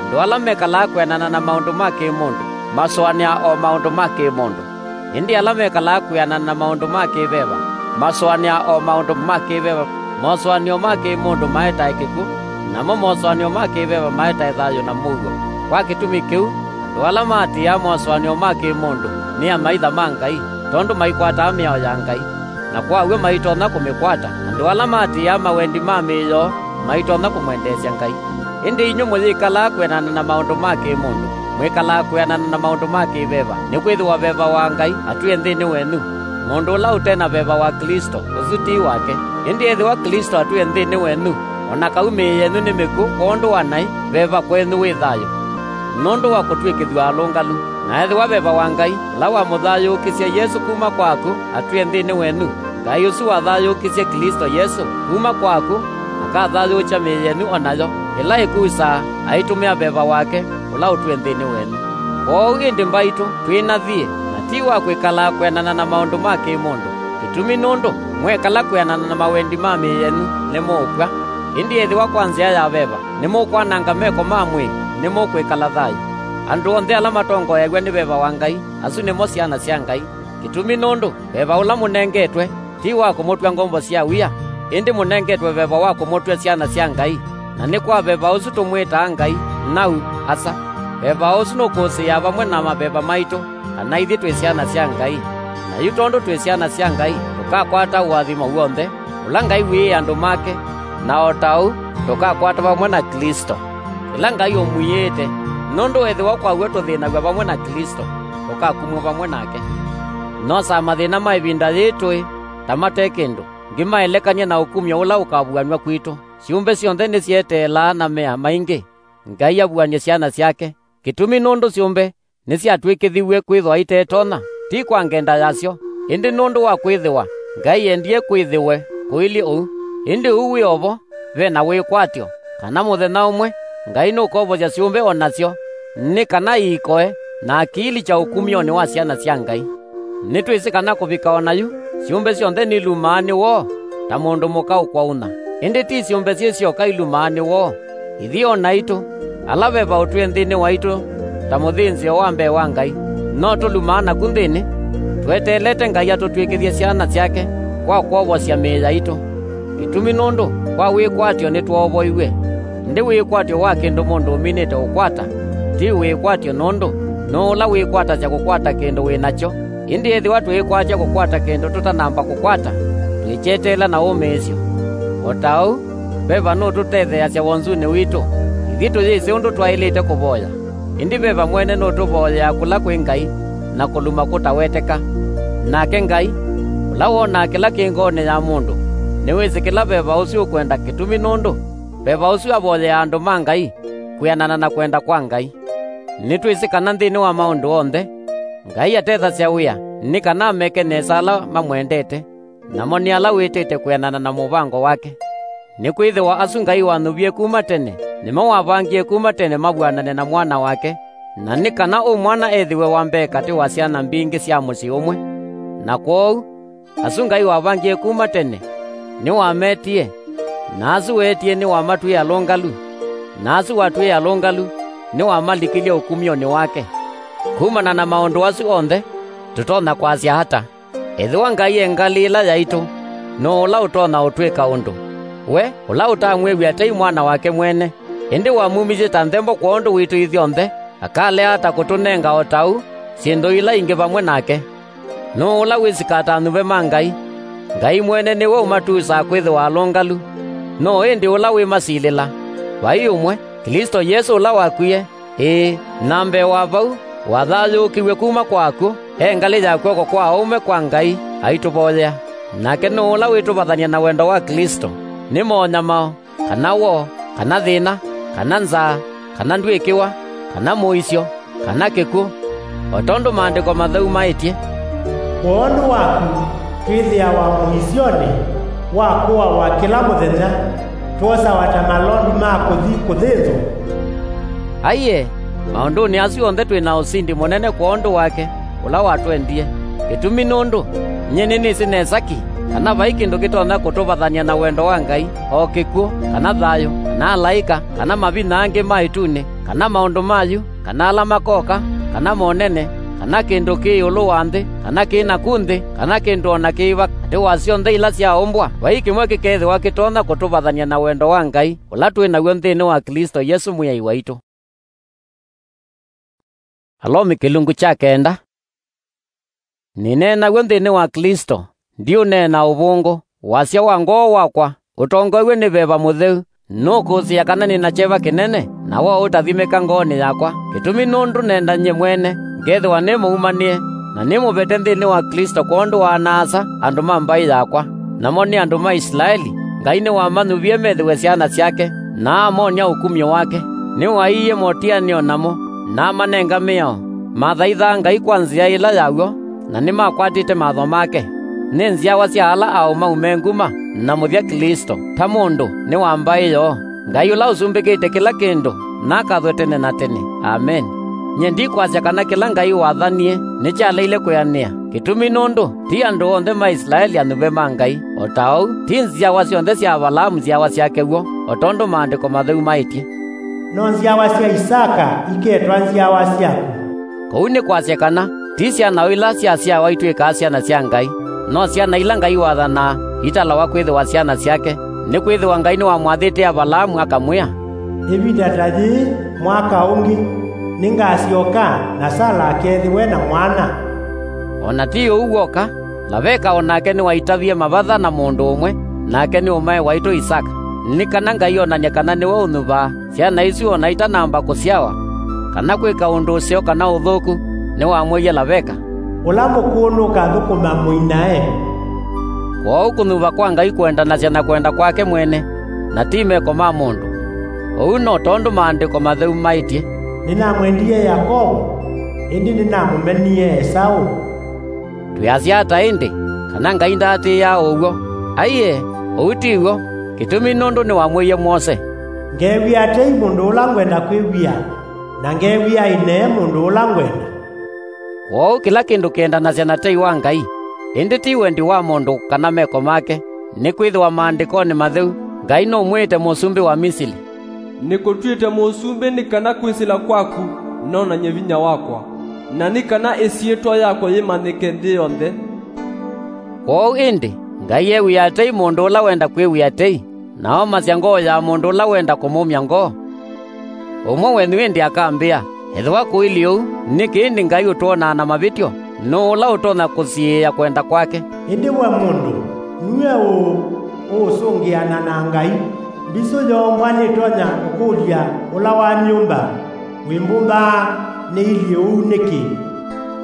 andũ ala mekalaa kwĩanana na maũndũ ma kĩ-mũndũ masũanĩaa o maũndũ ma kĩ-mũndũ, ĩndĩ ala mekalaa kwĩanana na maũndũ ma kĩ-veva masũanĩaa o maũndũ ma kĩ-veva. Mosũanĩo ma kĩ-mũndũ maetae kĩkw'ũ, namo mosũanĩo ma kĩ-veva maetae thayũ na mũuo. Kwa kĩtumi kĩu, andũ ala maatĩĩaa mosũanĩo ma kĩ-mũndũ nĩ amaitha ma Ngai, tondũ maikwataa mĩao ya Ngai, na kwa w'o maitonya kũmĩkwata. Andũ ala maatĩĩaa mawendi ma mĩĩ yoo maitonya kũmwendeesya Ngai. Ĩndĩ inyw'ĩ mũyĩkalaa kwĩanana na maũndũ ma kĩ-mũndũ, mwĩkalaa kwĩanana na maũndũ ma kĩ-veva, nĩkwĩthĩwa veva wa Ngai atwĩe nthĩnĩ wenyu. Mũndũ ũla ũte na veva wa Klĩsto, ũsu ti wake. Ĩndĩ ethĩwa Klĩsto atwĩe nthĩnĩ wenyu, o na kau mĩĩ yenyu nĩ mĩkw'ũ kwondũ wa naĩ, veva kwenyu wĩ thayũ nũndũ wa kũtw'ĩkĩthw'a alũngalu. Na ethĩwa veva wa Ngai, ũla wamũthayũũkisye Yesũ kuma kwa akw'ũ, atwĩe nthĩnĩ wenyu, Ngai ũsu wathayũũkisye Klĩsto Yesũ kuma kwa akw'ũ akathayũũkya mĩĩ yenyu o nayo ĩla ĩkusaa, aitũmĩa veva wake ũla ũtwĩe nthĩnĩ wenyu. Kwoou ĩndĩ mbaitũ, twĩnathiĩ, na ti wa kwĩkalaa kwĩanana na maũndũ ma kĩ-mũndũ. Kĩtumi nũndũ mwekala kwĩanana na mawendi ma mĩĩ yenyu, nĩmũũkw'a. Ĩndĩ ethĩwa kwa nzĩa ya veva nĩmũkwananga meko ma mwĩĩ, nĩmũkwĩkala thayũ. Andũ onthe ala matongoeaw'a nĩ veva wa Ngai, asu nĩmo syana sya Ngai. Kĩtumi nũndũ veva ũla mũnengetwe ti wa kũmũtw'a ngombo sya wia, ĩndĩ mũnengetwe veva wa kũmũtw'a syana sya Ngai. Na nĩ kwa veva ũsu tũmwĩtaa Ngai, nau, Asa. Veva ũsu nũkũsĩĩa vamwe na maveva maitũ kana ithyĩ twĩ syana sya Ngai. Na yu tondũ twĩ syana sya Ngai, tũkakwata ũathimo w'onthe ũla Ngai wĩĩe andũ make, na o ta ũu tũkakwata vamwe na Klĩsto kĩla Ngai ũmwĩĩte, nũndũ ethĩwa kwa w'o tũthĩnaw'a vamwe na Klĩsto, tũkakumw'a vamwe nake. Nosaa mathĩna ma ĩvinda yĩĩ tũĩ ta mate kĩndũ, ngĩmaelekany'e na ũkumyo ũla ũkavuanw'a kwitũ. Syũmbe syonthe nĩsyeteelaa na mea maingĩ Ngai avuany'e syana syake. Kĩtumi nũndũ syũmbe nĩsyatw'ĩkĩthiw'e kwĩthwa itetonya, ti kwa ngenda yasyo, ĩndĩ nũndũ wa kwĩthĩwa Ngai endie kwĩthĩwe kũilyĩ ũu. Ĩndĩ ũu wĩ o vo, ve na wĩkwatyo, kana mũthenya ũmwe Ngai nũkovosya syũmbe o nasyo, nĩ kana iikoe na akiilikya ũkumyonĩ wa syana sya Ngai. Nĩtwĩsĩ kana kũvika o na yu, syũmbe syonthe nilumaa nĩ woo ta mũndũ mũka ũkwaũna. Ĩndĩ ti syũmbe syĩ syoka ilumaa nĩ woo. Ithyĩ o naitũ, ala veva ũtwĩe nthĩnĩ waitũ ta mũthĩnzĩo wa mbee wa Ngai, no tũlumaa naku nthĩnĩ, tweteelete Ngai atũtw'ĩkĩthye syana syake kwa kwovosya mĩĩ yaitũ. Kĩtumi nũndũ kwa wĩkwatyo nĩtwoovoiw'e. Ĩndĩ wĩkwatyo wa kĩndũ mũndũ ũminĩte ũkwata ti wĩkwatyo, nũndũ nũũ ũla wĩkwatasya kũkwata kĩndũ wĩ nakyo? Ĩndĩ ethĩwa twĩĩkwatya kũkwata kĩndũ tũtanamba kũkwata, twĩkyeteela na wũmĩĩsyo. O ta ũu, veva nũtũtetheeasya wonzunĩ witũ. Ithyĩ tũyĩsĩ ũndũ twaĩlĩte kũvoya, ĩndĩ veva mwene nũtũvoyeaa kũla kwĩ Ngai na kũluma kũtaweteka. Nake Ngai, ũla wonaa kĩla kĩ ngoonĩ ya mũndũ, nĩwĩsĩ kĩla veva ũsu ũkwenda, kĩtumi nũndũ veva ũsu avoyeaa andũ ma Ngai kwĩanana na kwenda kwa Ngai. Nĩtwĩsĩ kana nthĩnĩ wa maũndũ onthe, Ngai atethasya wĩa nĩ kana ameke nesa ala mamwendete, namo nĩ ala wĩtĩte kwĩanana na mũvango wake. Nĩkwĩthĩwa asu Ngai wanyuvie kuma tene nĩmo wavangie kuma tene mavw'anane na Mwana wake, na nĩ kana ũ Mwana ethĩwe wa mbee katĩ wa syana mbingĩ sya mũsyĩ ũmwe. Na kwoou, asu Ngai wavangie kuma tene nĩwametie, na asu weetie nĩwamatw'ĩe alũngalu, na asu watw'ĩe alũngalu nĩwamalikilye ũkumyonĩ wake. Kumana na maũndũ asu onthe, tũtonya kwasya ata? Ethĩwa Ngai e ngalĩ ĩla yaitũ, nũũ ũla ũtonya ũtwĩka ũndũ? We ũla ũtamwĩw'a tei Mwana wake mwene, ĩndĩ wamumisye ta nthembo kwondũ witũ ithyonthe, akalea ata kũtũnenga o ta ũu syĩndũ ila ingĩ vamwe nake? Nũũ ũla wĩsĩ katanyuve ma Ngai? Ngai mwene nĩwe ũmatusaa kwĩthĩwa alũngalu. Nũũ ĩndĩ ũla wĩmasilĩla? Vai ũmwe, Klĩsto Yesũ ũla wakwie, ĩĩ, na mbee wa vau, wathayũũkiw'e kuma kwa akw'ũ, e ngalĩ ya kw'oko kwa aũme kwa Ngai, aitũvoyea. Nake nũũ ũla wĩtũvathany'a na wendo wa Klĩsto? Nĩ monyamao, kana woo, kana thĩna, kana nzaa, kana ndw'ĩkĩwa, kana mũisyo, kana kĩkw'ũ? O tondũ Maandĩko Matheu maĩtye, "Kwondũ waku twĩthĩawa mũisyonĩ wa kũawa kĩla mũthenya, twosawa ta malondu ma kũthi kũthĩnzwa." Aiee, maũndũnĩ asu onthe twĩ na ũsindi mũnene kwondũ wake ũla watwendie. Kĩtumi nũndũ nyie nĩnĩsĩ nesa ki kana vai kĩndũ kĩtonya kũtũvathany'a na wendo wa Ngai, o kĩkw'ũ, kana thayũ, kana alaĩka, kana mavinya angĩ ma ĩtunĩ, kana maũndũ ma yu, kana ala makoka, kana monene, kana kĩndũ kĩ ĩũlũ wa nthĩ, kana kĩ naku nthĩ, kana kĩndũ o na kĩĩva katĩ wa syonthe ila syaumbwa, vai kĩmwe kĩkeethĩwa kĩtonya kũtũvathany'a na wendo wa Ngai ũla twĩ naw'o nthĩnĩ wa Klĩsto Yesũ Mwĩai waitũ. Alomi kĩlungu kya kenda. Nĩneenaw'o nthĩnĩ wa Klĩsto, ndiũneena ũvũngũ, wasya wa ngoo wakwa ũtongoew'e nĩ veva mũtheu, Nũkũsĩĩa kana nĩ na kyeva kĩnene, na woo ũtathimĩka ngoonĩ yakwa, kĩtumi nũndũ nenda nyie mwene ngethĩwa nĩ mũumanĩe, na nĩmũvete nthĩnĩ wa Klĩsto kwondũ wa ana-a-asa andũ ma mbaĩ yakwa, namo nĩ andũ ma Isilaeli. Ngai nĩwamanyuvie methĩwe syana syake, na amonia ũkumyo wake. Nĩwaiie motĩanĩo namo, na amanenga mĩao. Mathaithaa Ngai kwa nzĩa ĩla ya w'o, na nĩmakwatĩte mawatho make. Nĩ nzyawa sya ala aũmau me nguma na mũthya Klĩsto, ta mũndũ nĩ wa mbaĩ yoo. Ngai ũla ũsumbĩkĩte kĩla kĩndũ nakathwe tene na tene. Ameni. Nyie ndikwasya kana kĩla Ngai wathanie nĩkyaleile kwĩanĩa, kĩtumi nũndũ ti andũ onthe ma Isilaeli anyuve ma Ngai, o ta ũu ti nzyawa syonthe sya Avalaamu nzyawa syake w'o, o tondũ Maandĩko Matheu maĩtye, "No nzyawa sya Isaka iketwa nzyawa syaku." Kũu nĩ kwasya kana ti syana o ila syasyawa itw'ĩkaa syana sya Ngai, no syana ila Ngai wathanaa italawa kwĩthĩwa syana syake, nĩkwĩthĩwa Ngai nĩwamwathĩte Avalaamu akamwĩa, "Ĩvinda ta yĩĩ mwaka ũngĩ, nĩngasyoka, na Sala akethĩwe na mwana." O na ti ũu w'oka, Laveka o nake nĩwaitavie mavatha na mũndũ ũmwe, nake nĩ ũmae waitũ Isaka, nĩ kana Ngai onany'e kana nĩwe ũnyuvaa syana isu o na itanamba kũsyawa, kana kwĩka ũndũ ũseo kana ũthũku, nĩwamwĩie Laveka, "Ũla mũkũũ nũkathũkũma mũinae." Kwoou kũnyuva kwa Ngai kũendanasya na kwenda kwake mwene, na ti meko ma mũndũ. Ũu no tondũ Maandĩko Matheu maĩtye, "Nĩnamwendie Yakovo, ĩndĩ nĩnamũmenie Esaũ." Twĩasya ata ĩndĩ, kana Ngai ndaatĩĩaa ũw'o? Aiee, ũu ti w'o, kĩtumi nũndũ nĩwamwĩie Mwose, "Ngew'ĩa tei mũndũ ũla ngwenda kwĩw'ĩa, na ngew'ĩa ĩnee mũndũ ũla ngwenda." Kwoou kĩla kĩndũ kĩendanasya na tei wa Ngai, ĩndĩ ti wendi wa mũndũ kana meko make, nĩkwĩthĩwa Maandĩkonĩ Matheu, Ngai nũmwĩĩte mũsumbĩ wa Misili, "Nĩkũtw'ĩte mũsumbĩ nĩ kana kwĩsĩla kwaku nonany'e vinya wakwa, na nĩ kana ĩsyĩtwa yakwa yĩmanyĩke nthĩ yonthe." Kwoou ĩndĩ, Ngai ew'ĩaa tei mũndũ ũla wenda kwĩw'ĩa tei, na omasya ngoo ya mũndũ ũla wenda kũmũmya ngoo. Ũmwe wenyu ĩndĩ akambĩa, "Ethĩwa kũilyĩ ũu, nĩkĩ ĩndĩ Ngai ũtwonaa na mavĩtyo? Nũũ ũla ũtonya kũsiĩĩa kwenda kwake?" Ĩndĩ we mũndũ, nue ũũ ũũsũngĩana na Ngai? Mbisũ yoombwa nĩtonya kũkũlya ũla wamyũmba, "Wĩmbũmbaa nĩilyĩ ũu nĩkĩ?"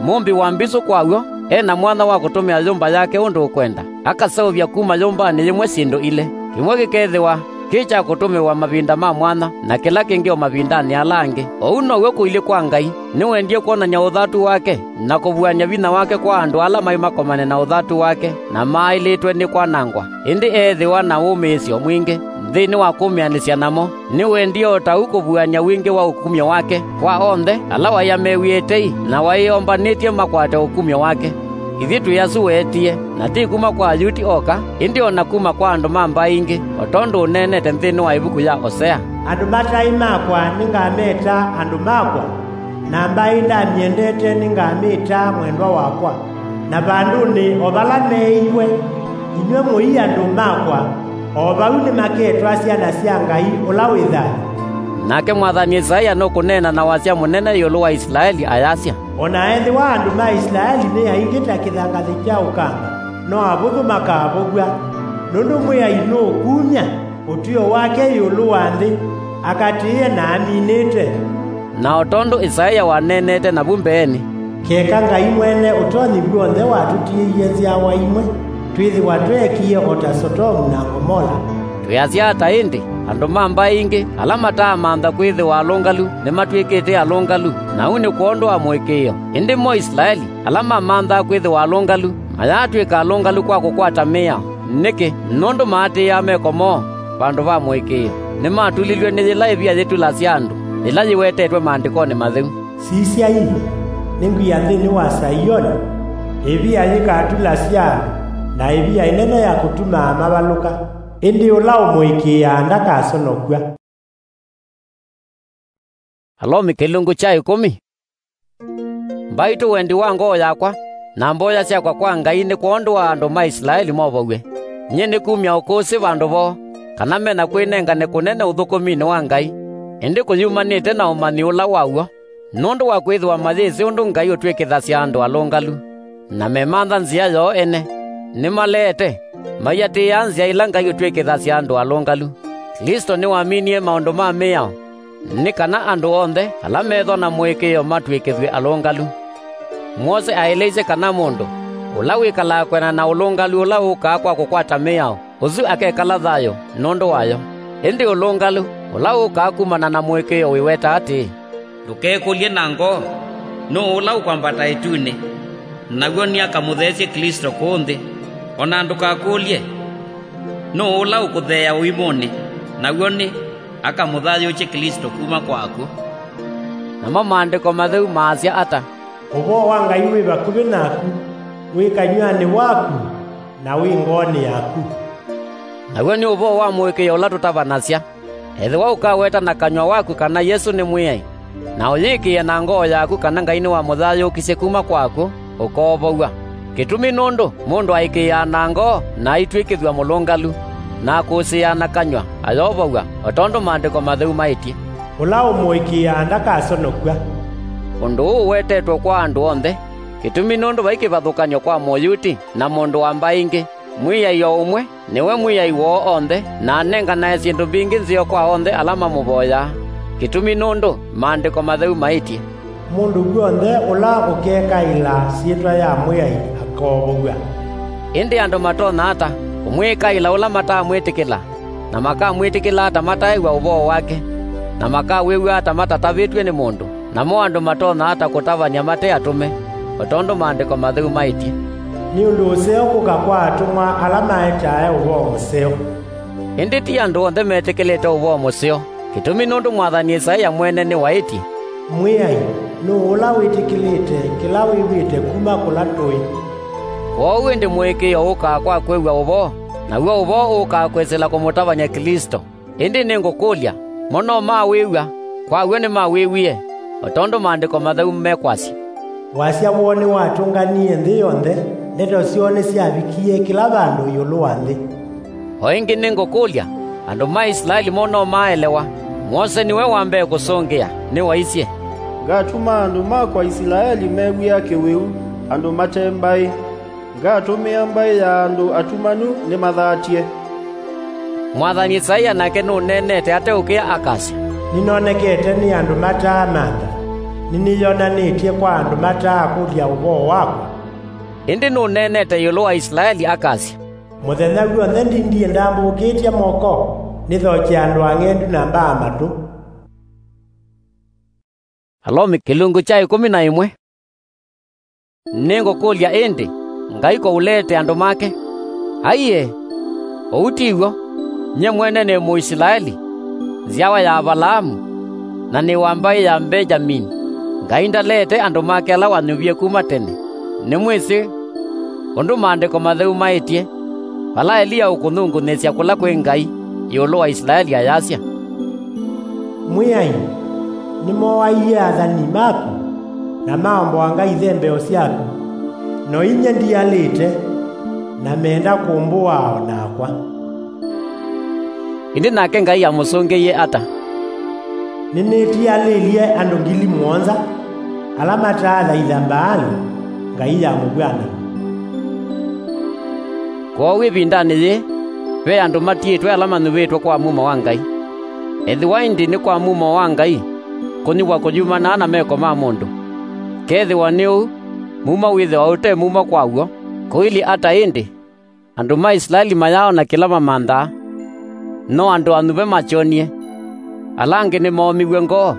Mũmbi wa mbisũ kwa w'o e na mwanya wa kũtũmĩa yũmba yake ũndũ ũkwenda. Akaseũvya kuma yũmbanĩ yĩmwe syĩndũ ilĩ. Kĩmwe kĩkethĩwa kĩ kya kũtũmĩwa mavinda ma mwanya, na kĩla kĩngĩ o mavindanĩ ala angĩ. Ũu now'o kũilyĩ kwa Ngai. Nĩwendie kwonany'a ũthatu wake na kũvuany'a vinya wake kwa andũ ala maĩ makomane na ũthatu wake na maaĩlĩtwe nĩ kwanangwa. Ĩndĩ eethĩwa na wũmĩĩsyo mwingĩ nthĩnĩ wa kũmĩanĩsya namo. Nĩwendie o ta ũu kũvuany'a wingĩ wa ũkumyo wake kwa onthe ala waĩ amew'ĩe tei na waĩ ombanĩtye makwate ũkumyo wake. Ithyĩ twĩ asu weetie, na ti kuma kwa Ayuti oka, ĩndĩ o na kuma kwa andũ ma mbaĩ ingĩ, o tondũ ũneenete nthĩnĩ wa ĩvuku ya Osea, "Andũ mataĩ makwa nĩngameta andũ makwa, na mbaĩ ndamyendete nĩngamĩta mwendwa wakwa." Na vandũnĩ o vala meeiwe, "Inyw'ĩ mũi andũ makwa," o vau nĩmaketwa syana sya Ngai ũla wĩ thayũ. Nake mwathani Isaia nũkũneena na wasya mũnene ĩũlũ wa Isilaeli ayasya, "O na ethĩwa andũ ma Isilaeli nĩ aingĩ ta kĩthangathĩ kya ũkanga, no avũthũ makavũw'a, nũndũ Mwĩai nũũkumya ũtw'ĩo wake ĩũlũ wa nthĩ, akatĩĩe na aminĩte." Na o tondũ Isaia waneenete navu mbeenĩ, "Keka Ngai mwene ũtonyi w'onthe watũtiĩie nzyawa imwe, twĩthĩwa tweekie o ta Sotomu na Ngomola." Twĩasya ata ĩndĩ? Andũ ma mbaĩ ingĩ ala mataamantha kwĩthĩwa alũngalu nĩmatw'ĩkĩte alũngalu, na ũu nĩ kwondũ wa mũĩkĩĩo. Ĩndĩ mo Isilaeli, ala mamanthaa kwĩthĩwa alũngalu, mayaatw'ĩka alũngalu kwa kũkwata mĩao. Nĩkĩ? Nũndũ maatĩĩaa meko moo vandũ va mũĩkĩĩo. Nĩmatulilw'e nĩ yĩla ĩvia yĩtulasya andũ, yĩla yĩwetetwe Maandĩkonĩ Matheu. "Sisyai, nĩngwia nthĩnĩ wa Saioni, ĩvia yĩkatulasya andũ, na ĩvia ĩnene ya kũtumaa mavalũka, ĩndĩ ũla ũmũĩkĩĩaa ndakasonokw'a." Alomi kĩlungu kya ĩkũmi. Mbaitũ wendi wa ngoo yakwa, na mboya syakwa kwa Ngai nĩ kwondũ wa andũ ma Isilaeli movow'e. Nyie nĩkumya ũkũsĩ vandũ voo, kana me na kwĩnengane kũnene ũthũkũminĩ wa Ngai, ĩndĩ kũyumanĩte na ũmanyi ũla wa w'o, nũndũ wa kwĩthĩwa mayĩsĩ ũndũ Ngai ũtw'ĩkĩthasya andũ alũngalu, na memantha nzĩa yoo ene. Nĩmaleete, maiatĩĩa nzĩa ila Ngai ũtw'ĩkĩthasya andũ alũngalu. Klĩsto nĩwaminie maũndũ ma mĩao, nĩ kana andũ onthe ala methwa na mũĩkĩĩo matw'ĩkĩthw'e alũngalu. Mwose aeleisye kana mũndũ ũla wĩkalaa kwĩanana na ũlũngalu ũla ũkaa kwa kũkwata mĩao, ũsu akekala thayũ nũndũ wayo. Ĩndĩ ũlũngalu ũla ũkaa kumana na mũĩkĩĩo wĩweta atĩĩ, "Ndũkekũlye na ngoo, 'Nũũ ũla ũkwambata ĩtunĩ?'" Naw'o nĩ akamũtheesye Klĩsto kũũ nthĩ. O na ndũkakũlye, "Nũũ ũla ũkũtheea ũimũnĩ?" Naw'o nĩ akamũthayũũkye Klĩsto kuma kwa akw'ũ. Namo Maandĩko Matheu maasya ata? "Ũvoo wa Ngai wĩ vakuvĩ naku, wĩ kanyw'anĩ waku, na wĩ ngoonĩ yaku." Naw'o nĩ ũvoo wa mũĩkĩĩo ũla tũtavanasya. Ethĩwa ũkaweta na kanyw'a waku kana Yesũ nĩ Mwĩai, na ũyĩkĩĩa na ngoo yaku kana Ngai nĩwamũthayũũkisye kuma kwa akw'ũ, ũkoovow'a. Kĩtumi nũndũ mũndũ aĩkĩĩaa na ngoo na aitw'ĩkĩthw'a mũlũngalu, na akũsĩĩaa na kanyw'a ayovow'a, o tondũ Maandĩko Matheu maĩtye, "Ũla ũmũĩkĩĩaa ndakasonokw'a." Ũndũ ũũ ũwetetwe kwa andũ onthe, kĩtumi nũndũ vai kĩvathũkany'o kwa Mũyuti na mũndũ wa mbaĩ ingĩ. Mwĩai o ũmwe nĩwe Mwĩai woo onthe, na anenganae syĩndũ mbingĩ nzeo kwa onthe ala mamũvoyaa, kĩtumi nũndũ Maandĩko Matheu maĩtye, "Mũndũ w'onthe ũla ũkekaĩla syĩtwa ya Mwĩai akoovow'a." Ĩndĩ andũ matonya ata kũmwĩkaĩla ũla matamwĩtĩkĩla, na makamwĩtĩkĩla ata mataew'a ũvoo wake, na makawĩw'a ata matatavĩtw'e nĩ mũndũ? Namo andũ matonya ata kũtavany'a mate atũme, o tondũ Maandĩko Matheu maĩtye, "Nĩ ũndũ ũseo kũka kwa atũmwa ala maetae ũvoo mũseo"? Ĩndĩ ti andũ onthe metĩkĩlĩte ũvoo mũseo, kĩtumi nũndũ mwathani Ĩsaĩa mwene nĩwaĩtye, "Mwĩai, nũũ ũla wĩtĩkĩlĩte kĩla wĩw'ĩte kuma kũla tũĩ?" Kwoou ĩndĩ mũĩkĩĩo ũkaa kwa kwĩw'a ũvoo, naw'o ũvoo ũkaa kwĩsĩla kũmũtavany'a Klĩsto. Ĩndĩ nĩngũkũlya, mo no mawĩw'a? Kwa w'o nĩmawĩw'ie, o tondũ Maandĩko Matheu mekwasya, "Wasya woo nĩwatũnganie nthĩ yonthe, ndeto syoo nĩsyavikie kĩla vandũ ĩũlũ wa nthĩ." O ĩngĩ nĩngũkũlya, andũ ma Isilaeli mo no maaelewa? Mwose nĩwe wa mbee kũsũngĩa, nĩwaisye, "Ngatuma andũ makwa Isilaeli mew'ĩa kĩwĩu, andũ mate mbaĩ. Ngatũmĩa mbaĩ ya andũ atumanu nĩmathatye." Mwathani Ĩsaĩa nake nũneenete ateũkĩa akasya, "Nĩnonekete nĩ andũ mataamantha, nĩnĩyonanĩtye kwa andũ mataakũlya ũvoo wakwa." Ĩndĩ nũneenete ĩũlũ wa Isilaeli akasya, "Mũthenya w'onthe ndindie ndambũkĩtye moko, nĩthokye andũ ang'endu na mbaa matũ." Alomi kĩlungu kya ĩkũmi na ĩmwe. Nĩngũkũlya ĩndĩ, Ngai kũũleete andũ make? Aiee, ũu ti w'o! Nyie mwene nĩ Mũisilaeli, nzyawa ya Avalaamu, na nĩ wa mbaĩ ya Mbengyamini. Ngai ndaleete andũ make ala wanyuvie kuma tene. Nĩmwĩsĩ ũndũ Maandĩko Matheu maĩtye, vala Eliya ũkũngunĩsya kũla kwĩ Ngai ĩũlũ wa Isilaeli ayasya, "Mwĩai, nĩmooaie athani maku, na maomboanga ithembeo syaku, no inyie ndialĩte, na meenda kũmbũaa o nakwa." Ĩndĩ nake Ngai amũsũngĩie ata? "Nĩnĩtialĩlye andũ ngili mũonza, ala mataathaitha Mbaali, ngai ya mũvw'anano." Kwoou ĩvindanĩ yĩĩ, ve andũ matiĩtwe ala manyuvĩtwe kwa mumo wa Ngai. Ethĩwa ĩndĩ nĩ kwa mumo wa Ngai, kũnyuvwa kũyumanaa na meko ma mũndũ. Kethĩwa nĩ ũu, mumo wĩthĩwa ũte mumo kwa w'o, kũilyĩ ata ĩndĩ? Andũ ma Isilaeli mayaaona kĩla mamanthaa, no andũ anyuve makyonie. Ala angĩ nĩmoomiw'e ngoo,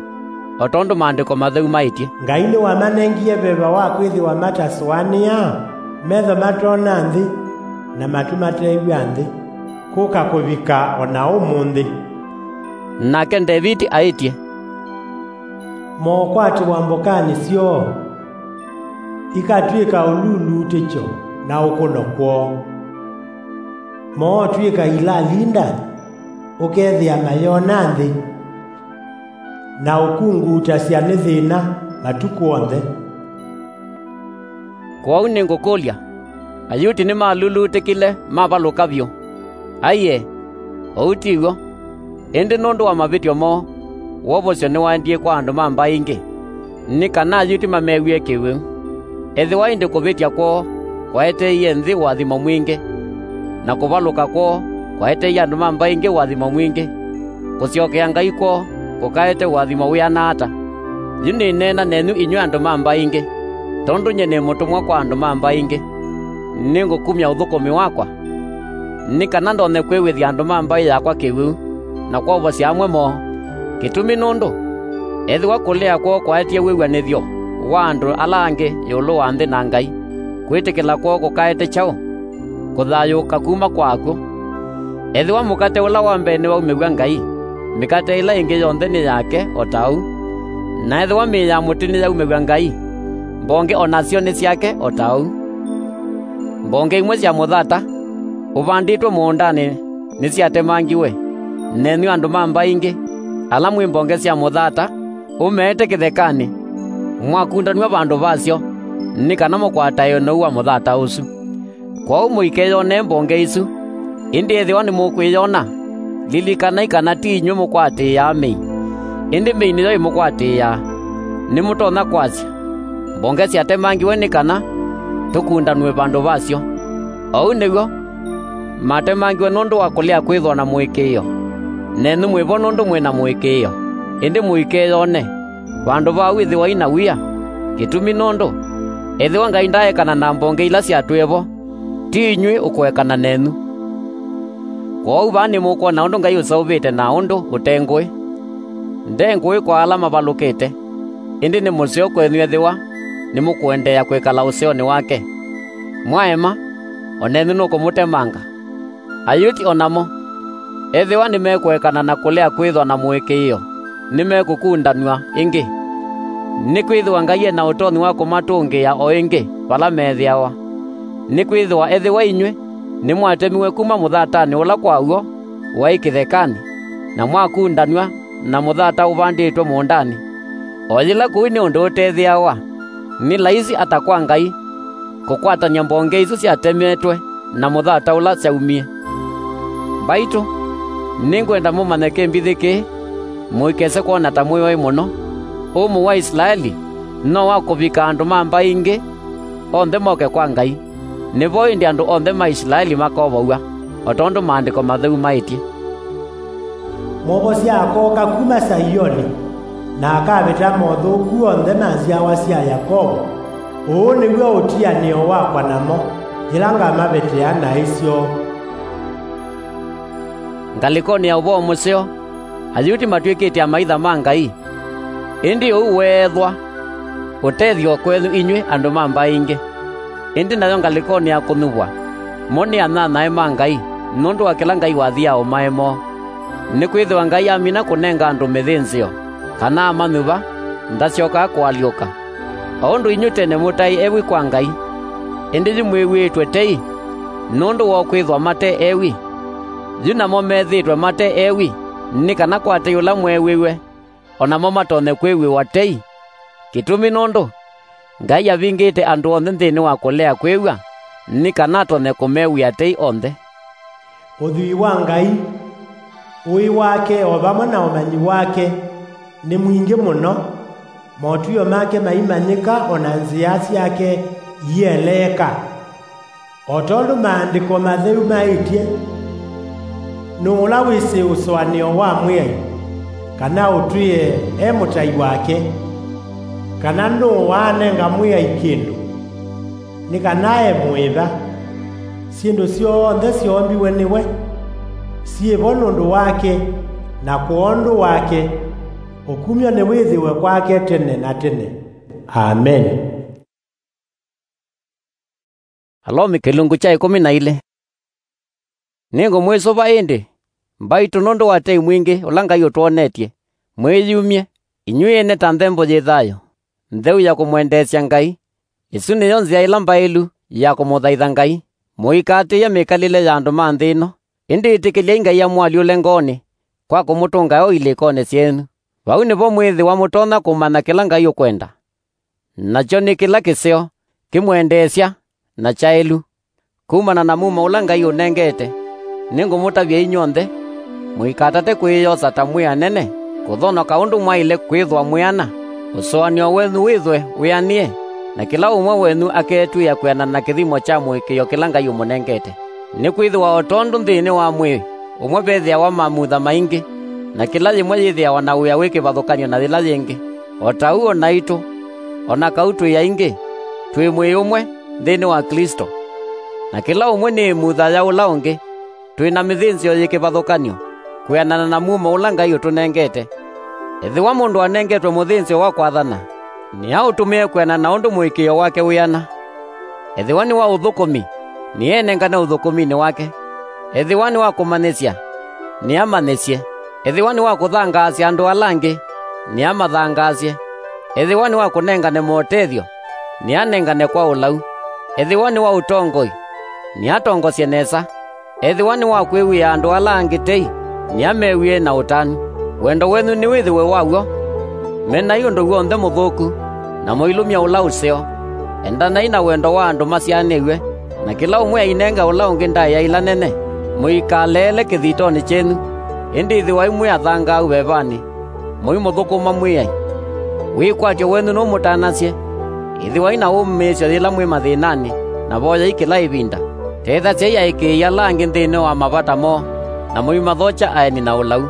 o tondũ Maandĩko Matheu maĩtye, "Ngai nĩwamanengie veva wa kwĩthĩwa matasũanĩa, metho matoona nthĩ, na matu matew'a nthĩ, kũka kũvika o na ũmũnthĩ." Nake Ndeviti aĩtye, "Mookwatĩwa mbokanĩ syoo, ikatw'ĩka ũlulutĩkyo na ũkũno kwoo. Mootw'ĩka ilalinda, ũkethĩa mayona nthĩ, na ũkunguutasya nĩ thĩna matukũ onthe." Kwoou nĩngũkũlya, Ayuti nĩmalulutĩkile mavalũka vyũ? Aiee, ũu ti w'o! Ĩndĩ nũndũ wa mavĩtyo moo, wovosyo nĩwaendie kwa andũ ma mbaĩ ingĩ, nĩ kana Ayuti mamew'ĩe kĩwĩu. Ethĩwa ĩndĩ kũvĩtya kwoo kwaeteeie nthĩ ũathimo mwingĩ, na kũvalũka kwoo kwaeteeie andũ ma mbaĩ ingĩ ũathimo mwingĩ, Kũsyokea Ngai kwoo kũkaete ũathimo wĩana ata! Yu nĩneena nenyu inyw'ĩ andũ ma mbaĩ ingĩ, tondũ nyie nĩ mũtũmwa kwa andũ ma mbaĩ ingĩ. Nĩngũkumya ũthũkũmi wakwa, nĩ kana ndonye kwĩw'ĩthya andũ ma mbaĩ yakwa kĩwĩu, na kwovosya amwe moo. Kĩtumi nũndũ, ethĩwa kũlea kwoo kwaetie wĩw'anĩthyo wa andũ ala angĩ ĩũlũ wa nthĩ na Ngai, kwĩtĩkĩla kwoo kũkaete kyaũ? Kũthayũũka kuma kwa akw'ũ. Ethĩwa mũkate ũla wa mbee nĩwaumĩw'a Ngai, mĩkate ĩla ĩngĩ yonthe nĩ yake o ta ũu. Na ethĩwa mĩĩ ya mũtĩ nĩyaumĩw'a Ngai, mbonge o nasyo nĩ syake o ta ũu. Mbonge imwe sya mũthata ũvandĩtwe mũũndanĩ nĩsyatemangiwe, nenyu andũ ma mbaĩ ingĩ, ala mwĩ mbonge sya mũthata ũmeete kĩthekanĩ, mwakundanw'a vandũ vasyo, nĩ kana mũkwatae ũnou wa mũthata ũsu. Kwoou mũikeyonee mbonge isu, ĩndĩ ethĩwa nĩmũkwĩyona, lilikanai kana ti inyw'ĩ mũkwatĩĩaa mĩi, ĩndĩ mĩi nĩyo ĩmũkwatĩĩaa. Nĩmũtonya kwasya, mbonge syatemangiwe nĩ kana tũkundanw'e vandũ vasyo. Ũu nĩw'o, matemangiwe nũndũ wa kũlea kwĩthwa na mũĩkĩĩo. Nenyu mwĩ vo nũndũ mwĩ na mũĩkĩĩo, ĩndĩ mũikeyone. Vandũ va ũu ĩthĩwai na wia, kĩtumi nũndũ, ethĩwa Ngai ndaaekana na mbonge ila syatwĩe vo, ti inyw'ĩ ũkũekana nenyu. Kwoou vaa nĩmũkwona ũndũ Ngai ũseũvĩte na ũndũ ũte ngũĩ. Nde ngũĩ kwa ala mavalũkĩte, ĩndĩ nĩ mũseo kwenyu ethĩwa nĩmũkũendeea kwĩkala ũseonĩ wake. Mwaema, o nenyu nũkũmũtemanga. Ayuti o namo, ethĩwa nĩmekũekana na kũlea kwĩthwa na mũĩkĩĩo, nĩmekũkundanw'a ĩngĩ. Nĩkwĩthĩwa Ngai e na ũtonyi wa kũmatũngĩĩa o ĩngĩ vala methĩawa. Nĩkwĩthĩwa ethĩwa inyw'ĩ nĩmwatemiwe kuma mũthatanĩ ũla kwa w'o waĩ kĩthekanĩ, na mwakundanw'a na mũthata ũvandĩtwe mũũndanĩ, o yĩla kũu nĩ ũndũ ũtethĩawa, nĩ laisi ata kwa Ngai kũkwatany'a mbonge isu syatemetwe na mũthata ũla syaumie? Mbaitũ, nĩngwenda mũmanye kĩmbithĩ kĩĩ, mũikese kwona ta mwĩ oĩ mũno. Ũmũ wa Isilaeli no wa kũvika andũ ma mbaĩ ingĩ onthe moke kwa Ngai. Nĩvo ĩndĩ andũ onthe ma Isilaeli makovow'a, o tondũ Maandĩko Matheu maĩtye, "Mwovosya akooka kuma Saioni, na akavĩta mothũku onthe ma nzyawa sya Yakovo. Ũũ nĩw'o ũtianĩo wakwa namo, yĩla ngamavĩtĩa naĩ syoo." Ngalĩkonĩ ya ũvoo mũseo, Ayuti matw'ĩkĩte amaitha ma Ngai. Ĩndĩ ũu weethwa ũtethyo kwenyu inyw'ĩ andũ ma mbaĩ ingĩ. Ĩndĩ nayo ngalĩkonĩ ya kũnyuvwa, mo nĩ anyanyae ma Ngai nũndũ wa kĩla Ngai wathiaa ũmae moo. Nĩkwĩthĩwa Ngai amina kũnenga andũ mĩthĩnzĩo, kana amanyuva, ndasyokaa kũalyũka. O ũndũ inyw'ĩ tene mũtaĩ ewi kwa Ngai, ĩndĩ yu mwĩw'ĩĩtwe tei nũndũ wa kwĩthwa mate ewi, yu namo methĩĩtwe mate ewi, nĩ kana kwa tei ũla mweew'ĩwe, o namo matonye kwĩw'ĩwa tei. Kĩtumi nũndũ Ngai avingĩte andũ onthe nthĩnĩ wa kũlea kwĩw'a, nĩ kana atonye kũmew'ĩa tei onthe. Ũthwii wa Ngai, ũĩ wake, o vamwe na ũmanyi wake, nĩ mwingĩ mũno, motw'ĩo make maimanyĩka, o na nzĩa syake ieleeka. O tondũ Maandĩko Matheu maĩtye, "Nũũ ũla wĩsĩ ũsũanĩo wa Mwĩai, kana ũtwĩe e mũtai wake? Kana nũũ waanenga Mwĩai kĩndũ, nĩ kana e mũĩva?" Syĩndũ syonthe syoombiwe nĩwe, syĩ vo nũndũ wake, na kwondũ wake. Ũkumyo nĩwĩthĩwe kwake tene na tene. Ameni. Alomi kĩlungu kya ĩkũmi na ilĩ. Nĩngũmwĩsũva ĩndĩ, mbaitũ, nũndũ wa tei mwingĩ ũla Ngai ũtwonetye, mwĩyumye, inyw'ĩ ene ta nthembo yĩ thayũ, ntheu ya kũmwendeesya Ngai. Ĩsu nĩyo nzĩa ĩla mbaĩlu ya kũmũthaitha Ngai. Mũikaatĩĩe mĩkalĩle ya andũ ma nthĩ ĩno, ĩndĩ ĩtĩkĩlyai Ngai amũalyũle ngoonĩ kwa kũmũtũnga o ilĩkonĩ syenyu. Vau nĩvo mwĩthĩwa mũtonya kũmanya kĩla Ngai ũkwenda, nakyo nĩ kĩla kĩseo, kĩmwendeesya, na kyaĩlu. Kumana na mumo ũla Ngai ũnengete, nĩngũmũtavya inyw'onthe, mũikatate kwĩyosa ta mwĩ anene, kũthonoka ũndũ mwaĩle kwĩthwa mwĩ ana, ũsũanĩo wenyu wĩthwe wĩanĩe, na kĩla ũmwe wenyu akeetw'ĩĩa kwĩanana na kĩthimo kya mũĩkĩĩo kĩla Ngai ũmũnengete. Nĩkwĩthĩwa o tondũ nthĩnĩ wa mwĩĩ ũmwe vethĩawa mamutha maingĩ, na kĩla yĩmwe yĩthĩawa na wĩa wĩ kĩvathũkany'o na yĩla yĩngĩ. O ta ũu o naitũ, o na kau twĩ aingĩ, twĩ mwĩĩ ũmwe nthĩnĩ wa Klĩsto, na kĩla ũmwe nĩ ĩmutha ya ũla ũngĩ, twĩ na mĩthĩnzĩo yĩ kĩvathũkany'o, kwĩanana na mumo ũla Ngai ũtũnengete. Ethĩwa mũndũ anengetwe mũthĩnzĩo wa kwathana, nĩaũtũmĩe kwĩanana na ũndũ mũĩkĩĩo wake wĩana. Ethĩwa nĩ wa ũthũkũmi, nĩenengane ũthũkũminĩ wake. Ethĩwa nĩ wa kũmanyĩsya, nĩamanyĩsye. Ethĩwa nĩ wa kũthangaasya andũ ala angĩ, nĩamathangaasye. Ethĩwa nĩ wa kũnengane motethyo, nĩanengane kwa ũlau. Ethĩwa nĩ wa ũtongoi, nĩatongosye nesa. Ethĩwa nĩ wa kwĩw'ĩa andũ ala angĩ tei, nĩamew'ĩe na ũtanu. Wendo wenyu nĩwĩthĩwe wa w'o. Menai ũndũ w'onthe mũthũku, na mũilumya ũla ũseo. Endanai na wendo wa andũ masyaanĩw'e, na kĩla ũmwe ainenge ũla ũngĩ ndaĩa ila nene. Mũikaleele kĩthitonĩ kyenyu, ĩndĩ ĩthĩwai mwĩ athangaau vevanĩ, mũimũthũkũma Mwĩai. Wĩkwatyo wenyu nũmũtanasye. Ĩthĩwai na wũmĩĩsyo yĩla mwĩ mathĩnanĩ, na voyai kĩla ĩvinda. Tethasyai aĩkĩĩi ala angĩ nthĩnĩ wa mavata moo, na mũimathokya aeni na ũlau.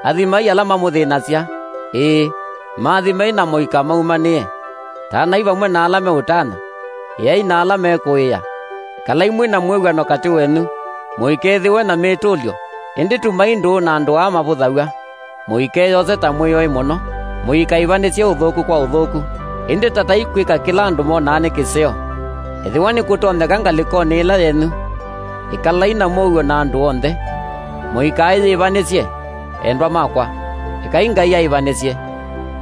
Athimai ala mamũthĩnasya, ĩĩ, maathimei na mũikamaumanĩe. Tanai vamwe na ala meũtana, ĩai na ala mekũĩa. Ĩkalai mwĩ na mwĩw'ano katĩ wenyu, mũikethĩwe na mĩtũlyo, ĩndĩ tumai ndũũ na andũ aa mavũthaw'a. Mũikeyose ta mwĩoi mũno. Mũikaivanĩsye ũthũku kwa ũthũku, ĩndĩ tatai kwĩka kĩla andũ monaa nĩ kĩseo. Ethĩwa nĩkũtonyeka ngalĩkonĩ ĩla yenyu, ĩkalai na mũuo na andũ onthe. Mũikaĩyĩvanĩsye, endwa makwa, ekai Ngai aĩvanĩsye.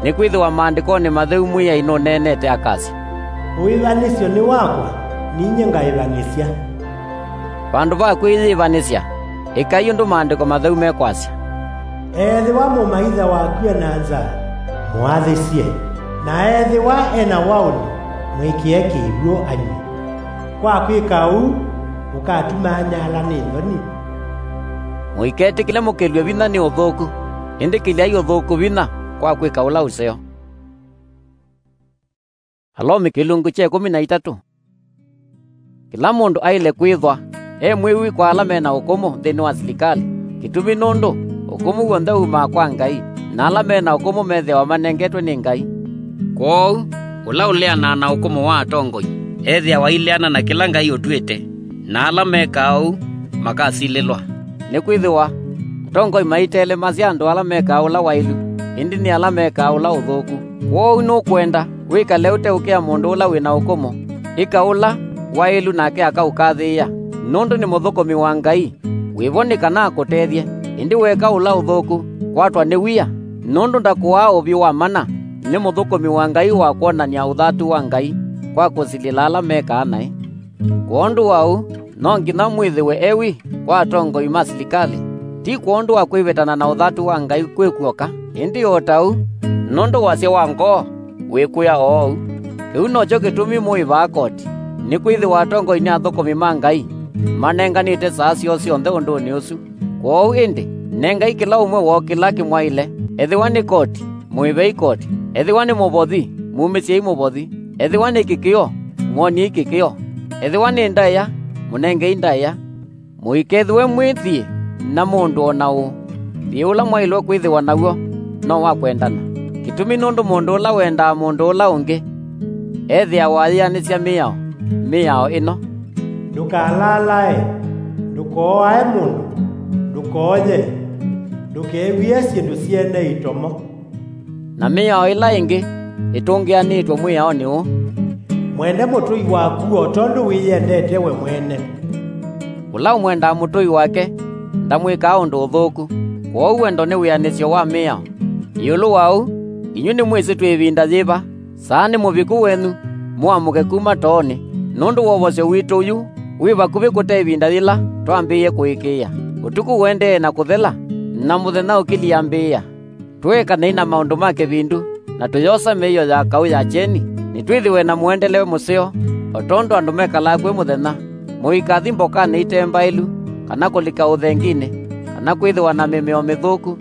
Nĩkwĩthĩwa Maandĩkonĩ Matheu Mwĩai nũneenete akasya, "Ũĩvanĩsyo nĩ wakwa, ninyie ngaĩvanĩsya." Vandũ va kwĩyĩĩvanĩsya, ĩkai ũndũ Maandĩko Matheu mekwasya, "Ethĩwa mũmaitha waku e na nzaa, mũathĩsye, na ethĩwa e na waũni, mwĩkĩe kĩw'ũ anywe. Kwa kwĩka ũu, ũkatuma anyaala nĩ nthoni." Mũiketĩkĩle mũkĩlw'e vinya nĩ ũthũku, ĩndĩ kĩlyai ũthũku vinya kwa kwĩka ũla ũseo. Alomi kĩlungu kya ĩkũmi na itatũ. Kĩla mũndũ aĩle kwĩthwa e mwĩwi kwa ala me na ũkũmũ nthĩnĩ wa silikalĩ, kĩtumi nũndũ ũkũmũ w'onthe wumaa kwa Ngai, na ala me na ũkũmũ methĩawa manengetwe nĩ Ngai. Kwoou, ũla ũleanaa na ũkũmũ wa atongoi ethĩawa aileana na kĩla Ngai ũtw'ĩte, na ala mekaa ũu makasilĩlwa. Nĩkwĩthĩwa atongoi maitelemasya andũ ala mekaa ũla waĩlu, ĩndĩ nĩ ala mekaa ũla ũthũku. Kwoou nũkwenda wĩkale ũteũkĩa mũndũ ũla wĩ na ũkũmũ, ĩka ũla waĩlu nake akaũkathĩĩa, nũndũ nĩ mũthũkũmi wa Ngai. Wĩ vo nĩ kana akũtethye, ĩndĩ weeka ũla ũthũku, kwatwa nĩ wia, nũndũ ndakũaa ũvyũ wa mana. Nĩ mũthũkũmi wa Ngai wa kwonany'a ũthatu wa Ngai kwa kũsilĩla ala mekaa naĩ. Kwondũ wa ũu, no nginya mwĩthĩwe ewi kwa atongoi ma silikalĩ, ti kwondũ wa kwĩvĩtana na ũthatu wa Ngai kwĩ kw'oka, ĩndĩ o ta ũu, nũndũ wasya wa ngoo wĩkwĩa oou. Kĩu nokyo kĩtumi mũĩvaa koti, nĩkwĩthĩwa atongoi nĩ athũkũmi ma Ngai, manenganĩte saa syoo syonthe ũndũnĩ ũsu. Kwoou ĩndĩ, nengai kĩla ũmwe woo kĩla kĩmwaĩle, ethĩwa nĩ koti, mũĩvei koti. Ethĩwa nĩ mũvothi, mumĩsyei mũvothi. Ethĩwa nĩ kĩkĩo, mwoniei kĩkĩo. Ethĩwa nĩ ndaĩa, mũnengei ndaĩa. Mũikethĩwe mwĩ thiĩ na mũndũ o na ũ. Thiĩ ũla mwaĩlwe kwĩthĩwa naw'o no wa kwendana. Kĩtumi nũndũ mũndũ ũla wendaa mũndũ ũla ũngĩ ethĩawa ayĩanĩsya mĩao, mĩao ĩno: "Ndũkalalae, ndũkooae mũndũ, ndũkooye, ndũkew'ĩe syĩndũ syene itomo." Na mĩao ĩla ĩngĩ ĩtũngĩanĩtwe mwĩaonĩ ũũ: "Mwende mũtũi waku o tondũ wĩyendete we mwene." Ũla ũmwendaa mũtũi wake ndamwĩkaa ũndũ ũthũku. Kwoou wendo nĩ wĩanĩsyo wa mĩao. Ĩũlũ wa ũu, inyw'ĩ nĩmwĩsĩ twĩ ĩvinda yĩva. Saa nĩ mũviku wenyu, mũamũke kuma toonĩ, nũndũ wovosyo witũ ũyũ wĩ vakuvĩ kũte ĩvinda yĩla twambĩĩe kũĩkĩĩa. Ũtukũ ũendee na kũthela, na mũthenya ũkĩliambĩĩa. Tũekanei na maũndũ ma kĩvindu, na tũyosa mĩio ya kaũ ya kyeni, nĩtwĩthĩwe na mũendele mũseo, o tondũ andũ mekalaa kwĩ mũthenya. Mũikathi mbokanĩ ite mbaĩlu, kana kũlika ũthenginĩ, kana kwĩthĩwa na mĩmeo mĩthũku,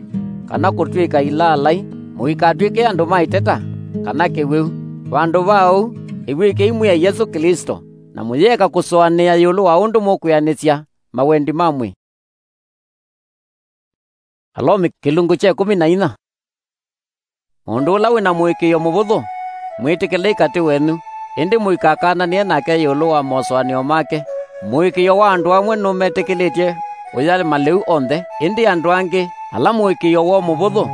kana kũtw'ĩka ilaalai. Mũikatw'ĩke andũ ma ĩteta, kana kĩwĩu. Vandũ va ũu, ĩw'ĩkei Mwĩai Yesũ Klĩsto, na mũyĩeka kũsũanĩa ĩũlũ wa ũndũ mũkwĩanĩsya mawendi ma mwĩĩ. Alomi kĩlungu kya ĩkũmi na inya. Mũndũ ũla wĩ na mũĩkĩĩo mũvũthũ, mwĩtĩkĩlei katĩ wenyu, ĩndĩ mũikakananĩe nake ĩũlũ wa mosũanĩo make. Mũĩkĩĩo wa andũ amwe nũmetĩkĩlĩtye ũya malĩu onthe, ĩndĩ andũ angĩ, ala mũĩkĩĩo woo mũvũthũ,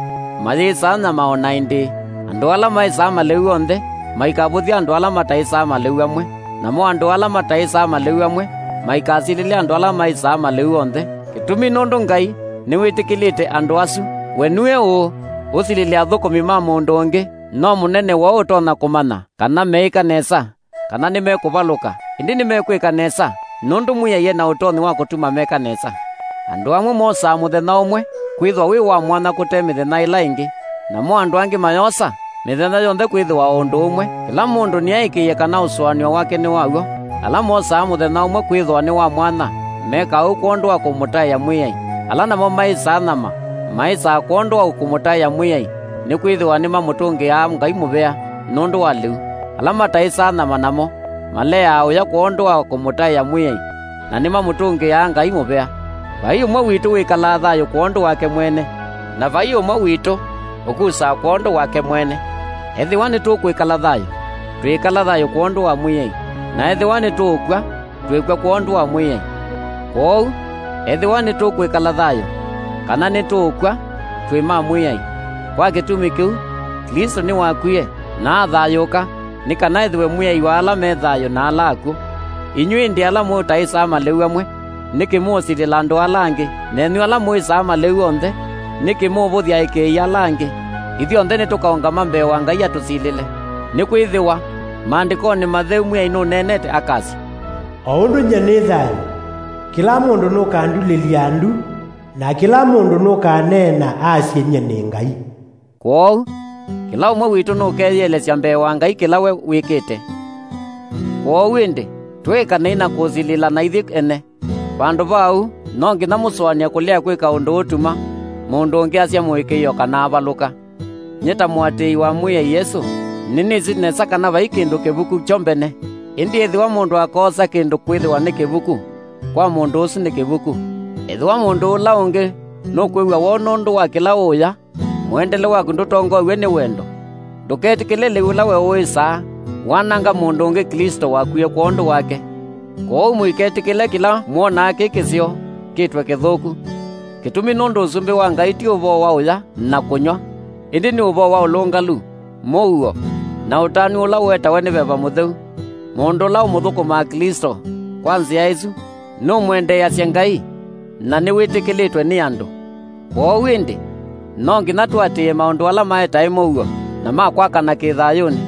mayĩsaa nyama o na ĩndĩĩ. Andũ ala maĩsaa malĩu onthe, maikavũthye andũ ala mataĩsaa malĩu amwe, namo andũ ala mataĩsaa malĩu amwe, maikasilĩle andũ ala maĩsaa malĩu onthe. Kĩtumi nũndũ Ngai nĩwĩtĩkĩlĩte andũ asu. We nue ũũ, ũsilĩle athũkũmi ma mũndũ ũngĩ? No mũnene waũ ũtonya kũmanya kana meĩka nesa, kana nĩmekũvalũka? Ĩndĩ nĩmekwĩka nesa, nũndũ Mwĩai e na ũtonyi wa kũtuma meka nesa. Andũ amwe mosaa mũthenya ũmwe kwĩthĩwa wĩ wa mwanya kũte mĩthenya ĩla ĩngĩ, namo andũ angĩ mayosa mĩthenya yonthe kwĩthĩwa o ũndũ ũmwe. Kĩla mũndũ nĩaĩkĩĩe kana ũsũanĩo wake nĩ wa w'o. Ala mosaa mũthenya ũmwe kwĩthĩwa nĩ wa mwanya, mekaa ũu kwondũ wa kũmũtaĩa Mwĩai. Ala namo maĩsaa nyama, maĩsaa kwondũ wa kũmũtaĩa Mwĩai, nĩkwĩthĩwa nĩmamũtũngĩaa Ngai mũvea nũndũ wa lĩu. Ala mataĩsaa nyama namo, maleaa ũya kwondũ wa kũmũtaĩa Mwĩai, na nĩmamũtũngĩaa Ngai mũvea. Vai ũmwe witũ wĩkalaa thayũ kwondũ wake mwene, na vai ũmwe witũ ũkusaa kwondũ wake mwene. Ethĩwa nĩtũkwĩkala thayũ, twĩĩkala thayũ kwondũ wa Mwĩai, na ethĩwa nĩtũũkw'a, twĩkw'a kwondũ wa Mwĩai. Kwoou, ethĩwa nĩtũkwĩkala thayũ, kana nĩtũũkw'a, twĩ ma Mwĩai. Kwa kĩtumi kĩu, Klĩsto nĩwakwie, na athayũũka, nĩ kana ethĩwe Mwĩai wa ala me thayũ na ala akw'ũ. Inyw'ĩ ĩndĩ ala mũtaĩsaa malĩu amwe, nĩkĩ mũũsilĩla andũ ala angĩ? Nenyu ala mũĩsaa malĩu onthe, nĩkĩ mũũvũthya aĩkĩĩi ala angĩ? Ithyonthe nĩtũkaũngama mbee wa Ngai atũsilĩle. Nĩkwĩthĩwa, Maandĩkonĩ Matheu Mwĩai nũneenete akasya, "O ũndũ nyie nĩ thayũ, kĩla mũndũ nũkandulĩlya ndu, na kĩla mũndũ nũkaneena asye nyie nĩ Ngai." Kwoou, kĩla ũmwe witũ nũkeyĩelesya mbee wa Ngai kĩla we wĩkĩte. Kwoou ĩndĩ, tũĩkanei na kũsilĩlana ithyĩ ene. Vandũ va ũu, no nginya mũsũanĩe kũlea kwĩka ũndũ ũtuma mũndũ ũngĩ asya mũĩkĩĩo kana avalũka. Nyie ta mũatĩĩi wa Mwĩai Yesũ, nĩnĩsĩ nesa kana vai kĩndũ kĩvuku kyo mbene. Ĩndĩ ethĩwa mũndũ akoosa kĩndũ kwĩthĩwa nĩ kĩvuku, kwa mũndũ ũsu nĩ kĩvuku. Ethĩwa mũndũ ũla ũngĩ nũkwĩw'a woo nũndũ wa kĩla ũũya, mũendele waku ndũtongoew'e nĩ wendo. Ndũketĩkĩle lĩu ũla we ũĩsaa wananga mũndũ ũngĩ Klĩsto wakwie kwondũ wake. Kwoou mũiketĩkĩle kĩla mwonaa kĩ kĩseo kĩtwe kĩthũku. Kĩtumi nũndũ Ũsumbĩ wa Ngai ti ũvoo wa ũya na kũnyw'a, ĩndĩ nĩ ũvoo wa ũlũngalu, mũuo, na ũtanu ũla ũetawe nĩ Veva Mũtheu. Mũndũ ũla ũmũthũkũmaa Klĩsto kwa nzĩa ĩsu nũmwendeeasya Ngai, na nĩwĩtĩkĩlĩtwe nĩ andũ. Kwoou ĩndĩ, no nginya tũatĩĩe maũndũ ala maetae mũuo na ma kwakana kĩthayũnĩ.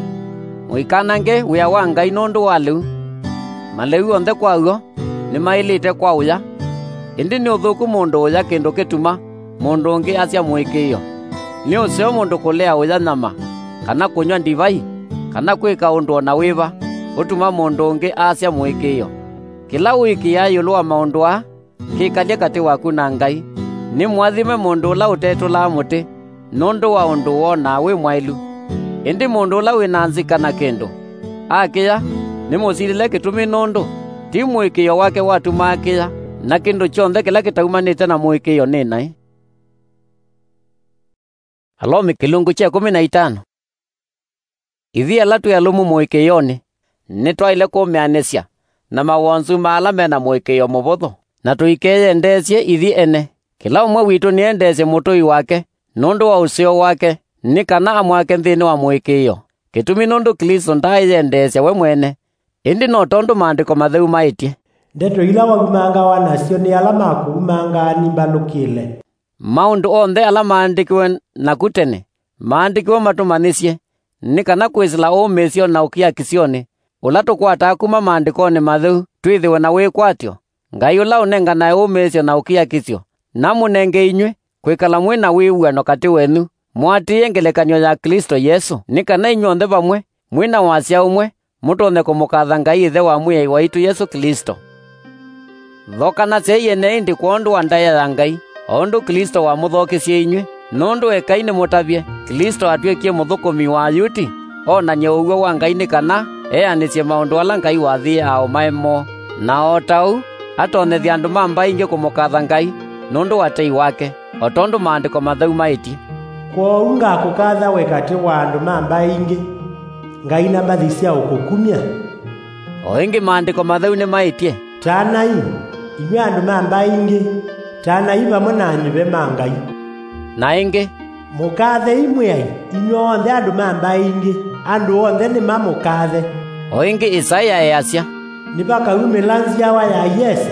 Mũikanange wĩa wa Ngai nũndũ wa lĩu. Malĩu onthe kwa w'o nĩmaĩlĩte kwa ũya, ĩndĩ nĩ ũthũku mũndũ ũya kĩndũ kĩtuma mũndũ ũngĩ asya mũĩkĩĩo. Nĩ ũseo mũndũ kũlea ũya nyama, kana kũnyw'a ndivai, kana kwĩka ũndũ o na wĩva ũtuma mũndũ ũngĩ asya mũĩkĩĩo. Kĩla ũĩkĩĩaa ĩũlũ wa maũndũ aa, kĩkalye katĩ waku na Ngai. Nĩ mũathime mũndũ ũla ũtetũlaa mũtĩ nũndũ wa ũndũ wonaa wĩ mwaĩlu. Ĩndĩ mũndũ ũla wĩ na nzika na kĩndũ, akĩya, nĩmũsilĩle kĩtumi nũndũ ti mũĩkĩĩo wake watuma akĩya, na kĩndũ kyonthe kĩla kĩtaumanĩte na mũĩkĩĩo nĩ naĩ. Alomi kĩlungu kya ĩkũmi na itano. Ithyĩ ala twĩ alũmu mũĩkĩĩonĩ, nĩtwaĩle kũmĩanĩsya na mawonzu ma ala me na mũĩkĩĩo mũvũthũ, na tũikeyendeesye ithyĩ ene. Kĩla ũmwe witũ nĩendeesye mũtũi wake nũndũ wa ũseo wake, nĩ kana amwake nthĩnĩ wa mũĩkĩĩo. Kĩtumi nũndũ Klĩsto ndaaĩyendeesya we mwene, ĩndĩ no tondũ Maandĩko Matheu maĩtye, "Ndeto ila waumangawa nasyo nĩ ala makũumangaa nimbalũkĩle." Maũndũ onthe ala maandĩkiwe naku tene maandĩkiwe matũmanyĩsye, nĩ kana kwĩsĩla ũmĩĩsyo na ũkiakĩsyonĩ ũla tũkwataa kuma Maandĩkonĩ Matheu twĩthĩwe na wĩkwatyo. Ngai ũla ũnenganae ũmĩĩsyo na ũkiakĩsyo namũnenge inyw'ĩ kwĩkala mwĩ na wĩw'ano katĩ wenyu, mũatĩĩe ngelekany'o ya Klĩsto Yesũ, nĩ kana inyw'onthe vamwe, mwĩ na wasya ũmwe, mũtonye kũmũkatha Ngai Ĩthe wa Mwĩai waitũ Yesũ Klĩsto. Thokanasyai ene ĩndĩ kwondũ wa ndaĩa ya Ngai, o ũndũ Klĩsto wamũthokisye inyw'ĩ. Nũndũ ekai nĩmũtavye, Klĩsto atw'ĩkie mũthũkũmi wa Ayuti, onany'e ũw'o wa Ngai nĩ kana eanĩsye maũndũ ala Ngai wathĩĩe aaũmae moo, na o ta ũu atonyethye andũ ma mbaĩ ingĩ kũmũkatha Ngai nũndũ wa tei wake. o tondũ Maandĩko Matheu maĩtye, "Kwoou ngakũkatha we katĩ wa andũ ma mbaĩ ingĩ, Ngai na mbathi sya ũkũkumya." O ĩngĩ Maandĩko Matheu nĩmaĩtye, "Tanai, inyw'ĩ andũ ma mbaĩ ingĩ, tanai vamwe na anyuve ma Ngai." Na ĩngĩ, "Mũkathei Mwĩai, inyw'onthe andũ ma mbaĩ ingĩ, andũ onthe nĩmamũkathe." O ĩngĩ Isaia easya, "Nĩvakaumĩla nzyawa ya Yese,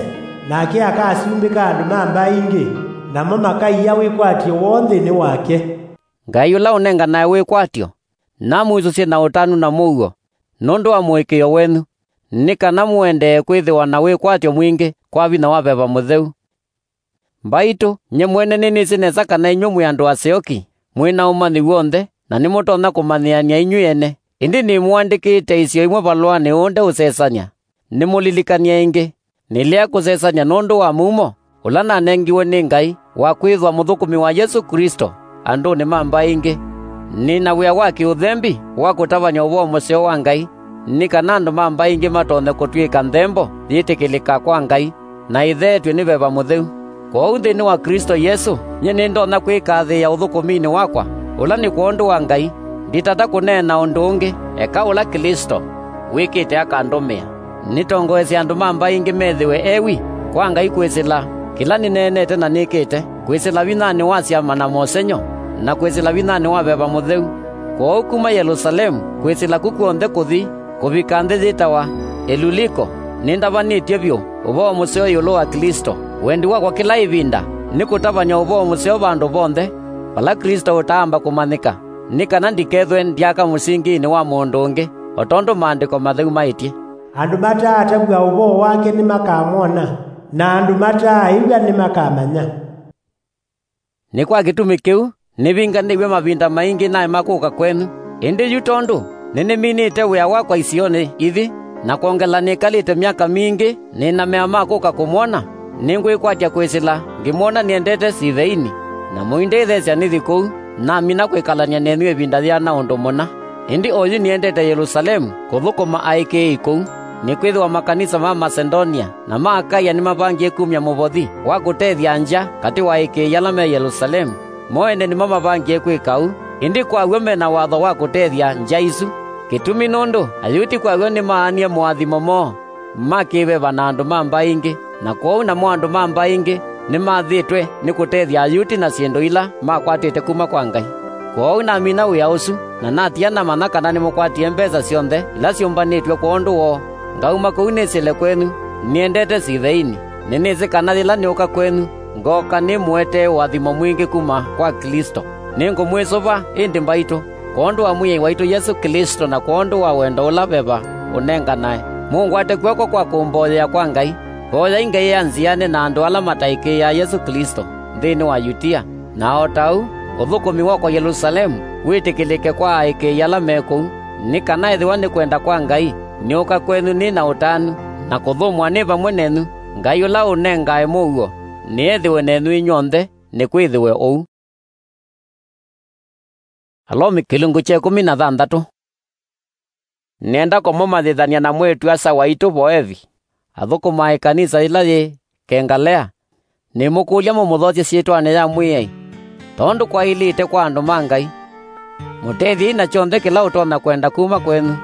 nake akasumbĩka andũ ma mbaĩ ingĩ, namo makaia wĩkwatyo woo nthĩnĩ wake." Ngai ũla ũnenganae wĩkwatyo namwĩsũsye na ũtanu na mũuo nũndũ wa mũĩkĩĩo wenyu, nĩ kana mũendee kwĩthĩwa na wĩkwatyo mwingĩ kwa vinya wa Veva Mũtheu. Mbaitũ, nyie mwene nĩnĩsĩ nesa kana inyw'ĩ mwĩ andũ aseũki, mwĩ na ũmanyi w'onthe, na nĩmũtonya kũmanyĩanĩa inyw'ĩ ene. Ĩndĩ nĩmũandĩkĩte isio imwe valũanĩ ũũ ndeũsesany'a, nĩmũlilikany'e ĩngĩ. Nĩlea kũsesany'a nũndũ wa mumo ũla nanengiwe nĩ Ngai wa kwĩthwa mũthũkũmi wa Yesũ Klĩsto andũnĩ ma mbaĩ ingĩ. Nĩ na wĩa wa kĩũthembi wa kũtavany'a ũvoo mũseo wa Ngai, nĩ kana andũ ma mbaĩ ingĩ matonye kũtw'ĩka nthembo yĩtĩkĩlĩka kwa Ngai na ĩtheetw'e nĩ Veva Mũtheu. Kwoou nthĩnĩ wa Klĩsto Yesũ, nyie nĩndonya kwĩkathĩĩa ũthũkũminĩ wakwa, ũla nĩ kwondũ wa Ngai. Nditata kũneena ũndũ ũngĩ, eka ũla Klĩsto wĩkĩte akandũmĩa. Nĩtongoesye andũ ma mbaĩ ingĩ methĩwe ewi kwa Ngai kwĩsĩla kĩla nĩneenete na nĩkĩte, kwĩsĩla vinyanĩ wa syama na mosengy'o, na kwĩsĩla vinyanĩ wa Veva Mũtheu. Kwoou kuma Yelũsalemu kwĩsĩla ku kw'onthe kũthi kũvika nthĩ yĩtawa Ĩluliko, nĩndavanĩtye vyũ ũvoo mũseo ĩũlũ wa Klĩsto. Wendi wakwa kĩla ĩvinda nĩ kũtavany'a ũvoo mũseo vandũ vonthe vala Klĩsto ũtaamba kũmanyĩka, nĩ kana ndikethwe ndyaka mũsinginĩ wa mũndũ ũngĩ, o tondũ Maandĩko Matheu maĩtye, "Andũ mataatavw'a ũvoo wake nĩmakamwona, na andũ mataaĩw'a nĩmakamanya." Nĩ kwa kĩtumi kĩu nĩvinganĩw'e mavinda maingĩ naema kũka kwenyu. Ĩndĩ yu tondũ nĩnĩminĩte wĩa wakwa isionĩ ithi, na kwongela nĩkalĩte myaka mingĩ nĩ na mea ma kũka kũmwona, nĩngwĩkwatya kwĩsĩla ngĩmwona nĩendete Siveini, na mũindĩthesya nĩthi kũu, namina kwĩkalany'a nenyu ĩvinda yĩana ũndũ mũna. Ĩndĩ oyu nĩendete Yelũsalemu kũthũkũma aĩkĩĩi kũu, nĩkwĩthĩwa makanisa ma Masedonia na ma Akaia nĩmavangie kumya mũvothi wa kũtethya ngya katĩ wa aĩkĩĩi ala me Yelũsalemu. Mo ene nĩmo mavangie kwĩka ũu, ĩndĩ kwa w'o me na watho wa kũtethya ngya isu. Kĩtumi nũndũ Ayuti kwa w'o nĩmaanie moathimo moo ma kĩ-veva na andũ ma mbaĩ ingĩ, na kwoou namo andũ ma mbaĩ ingĩ nĩmathĩtwe nĩ kũtethya Ayuti na syĩndũ ila makwatĩte kuma kwa Ngai. Kwoou namina wĩa ũsu, na natia namanya kana nĩmũkwatie mbesa syonthe ila syũmbanĩtw'e kwondũ woo. Ngauma kũu nĩsĩle kwenyu nĩendete Siveini. Nĩnĩsĩ kana yĩla nĩũka kwenyu, ngooka nĩmũetee ũathimo mwingĩ kuma kwa Klĩsto. Nĩngũmwĩsũva ĩndĩ mbaitũ, kwondũ wa Mwĩai waitũ Yesũ Klĩsto na kwondũ wa wendo ũla Veva ũnenganae, mũngwate kw'oko kwa kũmboyea kwa Ngai. Mboyai Ngai anziane na andũ ala mataĩkĩĩaa Yesũ Klĩsto nthĩnĩ wa Yutia, na o ta ũu ũthũkũmi wakwa Yelũsalemu wĩtĩkĩlĩke kwa aĩkĩĩi ala me kũu, nĩ kana ethĩwa nĩ kwenda kwa Ngai, nĩũka kwenyu nĩ na ũtanu, na kũthũmũa nĩ vamwe nenyu. Ngai ũla ũnengae mũuo nĩethĩwe nenyu inyw'onthe. Nĩkwĩthĩwe ũu. Alomi kĩlungu kya ĩkũmi na thanthatũ. Nĩenda kũmũmanyĩthany'a na mwĩĩtu-a-asa waitũ Voevi, athũkũmaa ĩkanisa yĩla yĩ Kengalea. Nĩmũkũlya mũmũthokye syĩtwanĩ ya Mwĩai, tondũ kwaĩlĩte kwa andũ ma Ngai. Mũtethyei na kyonthe kĩla ũtonya kwenda kuma kwenyu,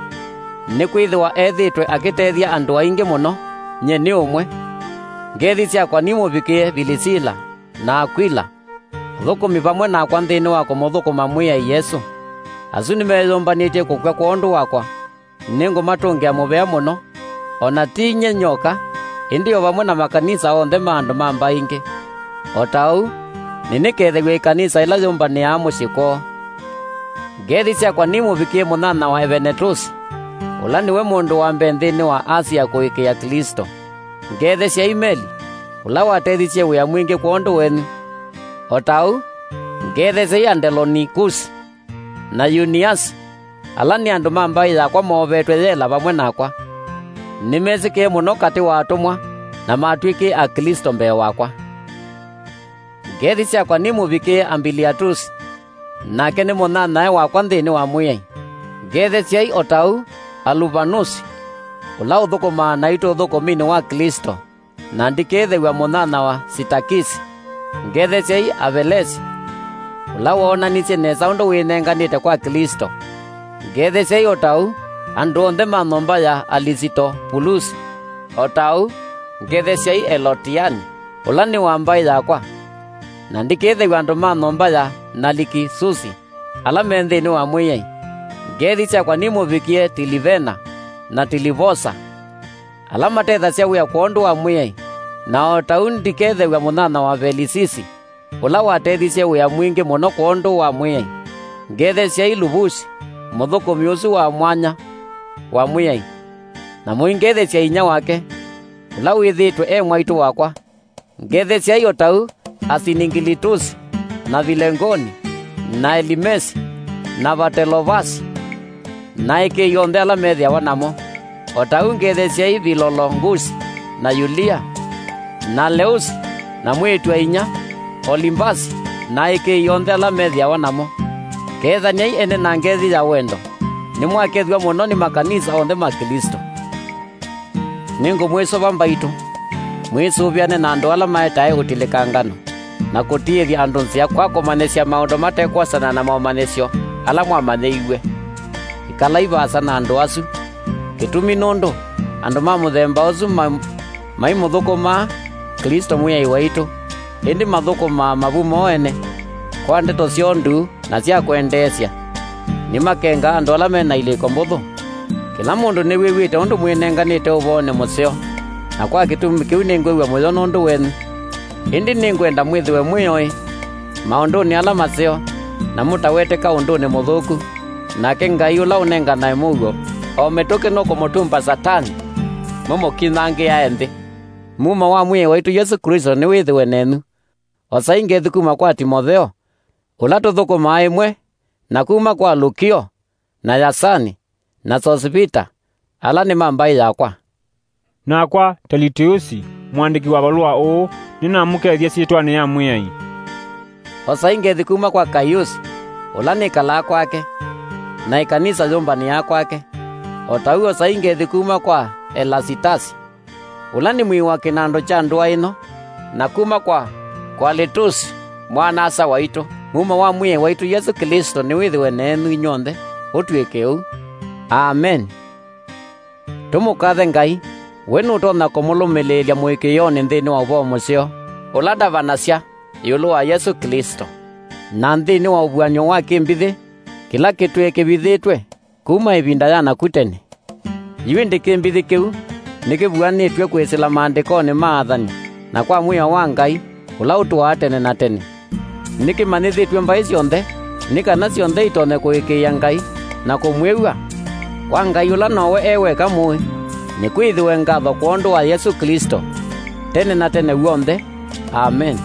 nĩkwĩthĩwa ethĩĩtwe akĩtethya andũ aingĩ mũno, nyie nĩ ũmwe. Ngethi syakwa nimũvikĩe Vilisila na Akwila, athũkũmi vamwe nakwa nthĩnĩ wa kũmũthũkũma Mwĩai Yesũ. Asu nĩmeyũmbanĩtye kũkw'a kwondũ wakwa. Nĩngũmatũngĩa mũvea mũno, o na ti nyie nyoka, ĩndĩ o vamwe na makanisa onthe ma andũ ma mbaĩ ingĩ. O ta ũu, nĩnĩkethew'a ĩkanisa ĩla yũmbanĩaa mũsyĩ kwoo. Ngethi syakwa nimũvikĩe mũnyanya wa Evenetũsi, ũla nĩwe mũndũ wa mbee nthĩnĩ wa Asia kũĩkĩĩa Klĩsto. Ngethesyai Meli, ũla watethisye wĩa mwingĩ kwondũ wenyu. O ta ũu, ngethesyai Andilonikusi na Yuniasi, ala nĩ andũ ma mbaĩ yakwa moovetwe yela vamwe nakwa. Nĩmesĩkĩe mũno katĩ wa atũmwa, na matw'ĩkĩe Aklĩsto mbee wakwa. Ngethi syakwa nimũvikĩe Ambiliatusi, nake nĩ mũnyanyae wakwa nthĩnĩ wa Mwĩai. Ngethesyai o ta ũu Aluvanusi, ũla ũthũkũmaa naitũ ũthũkũminĩ wa Klĩsto, na ndikĩthew'a mũnyanya wa Sitakisi. Ngethesyai Apelesi, ũla woonanisye nesa ũndũ wĩnenganĩte kwa Klĩsto. Ngethesyai o ta ũu andũ onthe ma nyũmba ya Alisitopulusi. O ta ũu ngethesyai Elotiani, ũla nĩ wa mbaĩ yakwa. Na ndikethew'a andũ ma nyũmba ya Nalikisusi, ala me nthĩnĩ wa Mwĩai. Ngethi syakwa nimũvikĩe Tilivena na Tilivosa, ala matethasya wĩa kwondũ wa Mwĩai. Na o ta ũu ndikethew'a mũnyanya wa Pelisisi, ũla watethisye wĩa mwingĩ mũno kwondũ wa Mwĩai. Ngethesyai Luvusi, mũthũkũmi ũsu wa mwanya wa Mwĩai, na mũingethesya inyia wake, ũla wĩthĩĩtwe e mwaitũ wakwa. Ngethesyai o ta ũu Asiningilitusi, na Vilengoni, na Elimesi, na Vatelovasi, na ĩkĩĩ yonthe ala methĩawa namo. O ta ũu ngethesyai Vilolongusi, na Yulia, na Leusi, na mwĩĩtu a inyia, Olimbasi, na ĩkĩĩ yonthe ala methĩawa namo. Kethany'ai ene na ngethi ya wendo. Nĩmwakethw'a mũno nĩ makanisa onthe ma Klĩsto. Nĩngũmwĩsũva mbaitũ, mwĩsũvĩane na andũ ala maetae ũtilĩkangano, na kũtiĩthya andũ nzĩa kwa kũmanyĩsya maũndũ mate kwosana na momanyĩsyo ala mwamanyĩiw'e. Ĩkalai vaasa na andũ asu. Kĩtumi nũndũ andũ ma mũthemba ũsu ma-, maimũthũkũmaa Klĩsto Mwĩai waitũ, ĩndĩ mathũkũmaa mavu moo ene kwa ndeto syoo nduu na sya kwendeesya. Nĩmakengaa andũ ala me na ilĩko mbũthũ. Kĩla mũndũ nĩwĩw'ĩte ũndũ mwĩnenganĩte ũvoonĩ mũseo, na kwa kĩtumi kĩu nĩngwĩw'a mũyo nũndũ wenyu. Ĩndĩ nĩngwenda mwĩthĩwe mwĩ oĩ maũndũnĩ ala maseo, na mũtaweteka ũndũnĩ mũthũku. Nake Ngai ũla ũnenganae mũuo o mĩtũkĩ nũkũmũtumba Satani, mũmũkinyangĩae nthĩ. Mumo wa Mwĩai waitũ Yesũ Klĩsto nĩwĩthĩwe nenyu. Osai ngethi kuma kwa Timotheo, ũla tũthũkũmaa ĩmwe, na kuma kwa Lukio, na Yasani, na Sosipita, ala nĩ ma mbaĩ yakwa. Nakwa Telitiusi, mũandĩki wa valũa ũũ, nĩnamũkethya syĩtwanĩ ya Mwĩai. Osai ngethi kuma kwa Kaiusi, ũla nĩkalaa kwake, na ĩkanisa yũmbanĩaa kwake. O ta ũu osai ngethi kuma kwa Elasitasi, ũla nĩ mwĩĩ wa kĩnandũ kya ndũa ĩno, na kuma kwa Kwalitusi, mwana-a-asa waitũ. Mumo wa Mwĩai waitũ Yesũ Klĩsto nĩwĩthĩwe nenyu inyw'onthe. Ũtw'ĩke ũu. Ameni. Tũmũkathe Ngai, we nũtonya kũmũlũmĩlĩĩlya mũĩkĩĩonĩ nthĩnĩ wa ũvoo mũseo ũla ndavanasya ĩũlũ wa Yesũ Klĩsto, na nthĩnĩ wa ũvuany'o wa kĩmbithĩ kĩla kĩtwĩe kĩvithĩtwe kuma ĩvinda ya naku tene. Yu ĩndĩ kĩmbithĩ kĩu nĩkĩvuanĩtw'e kwĩsĩla maandĩkonĩ ma athani na kwa mwĩao wa Ngai ũla ũtũaa tene na tene. Nĩkĩmanyĩthĩtw'e mbaĩ syonthe, nĩ kana syonthe itonye kũĩkĩĩa Ngai na kũmwĩw'a. Kwa Ngai ũla nowe e weka mũĩ, nĩkwĩthĩwe ngatho kwondũ wa Yesũ Klĩsto, tene na tene w'onthe. Ameni.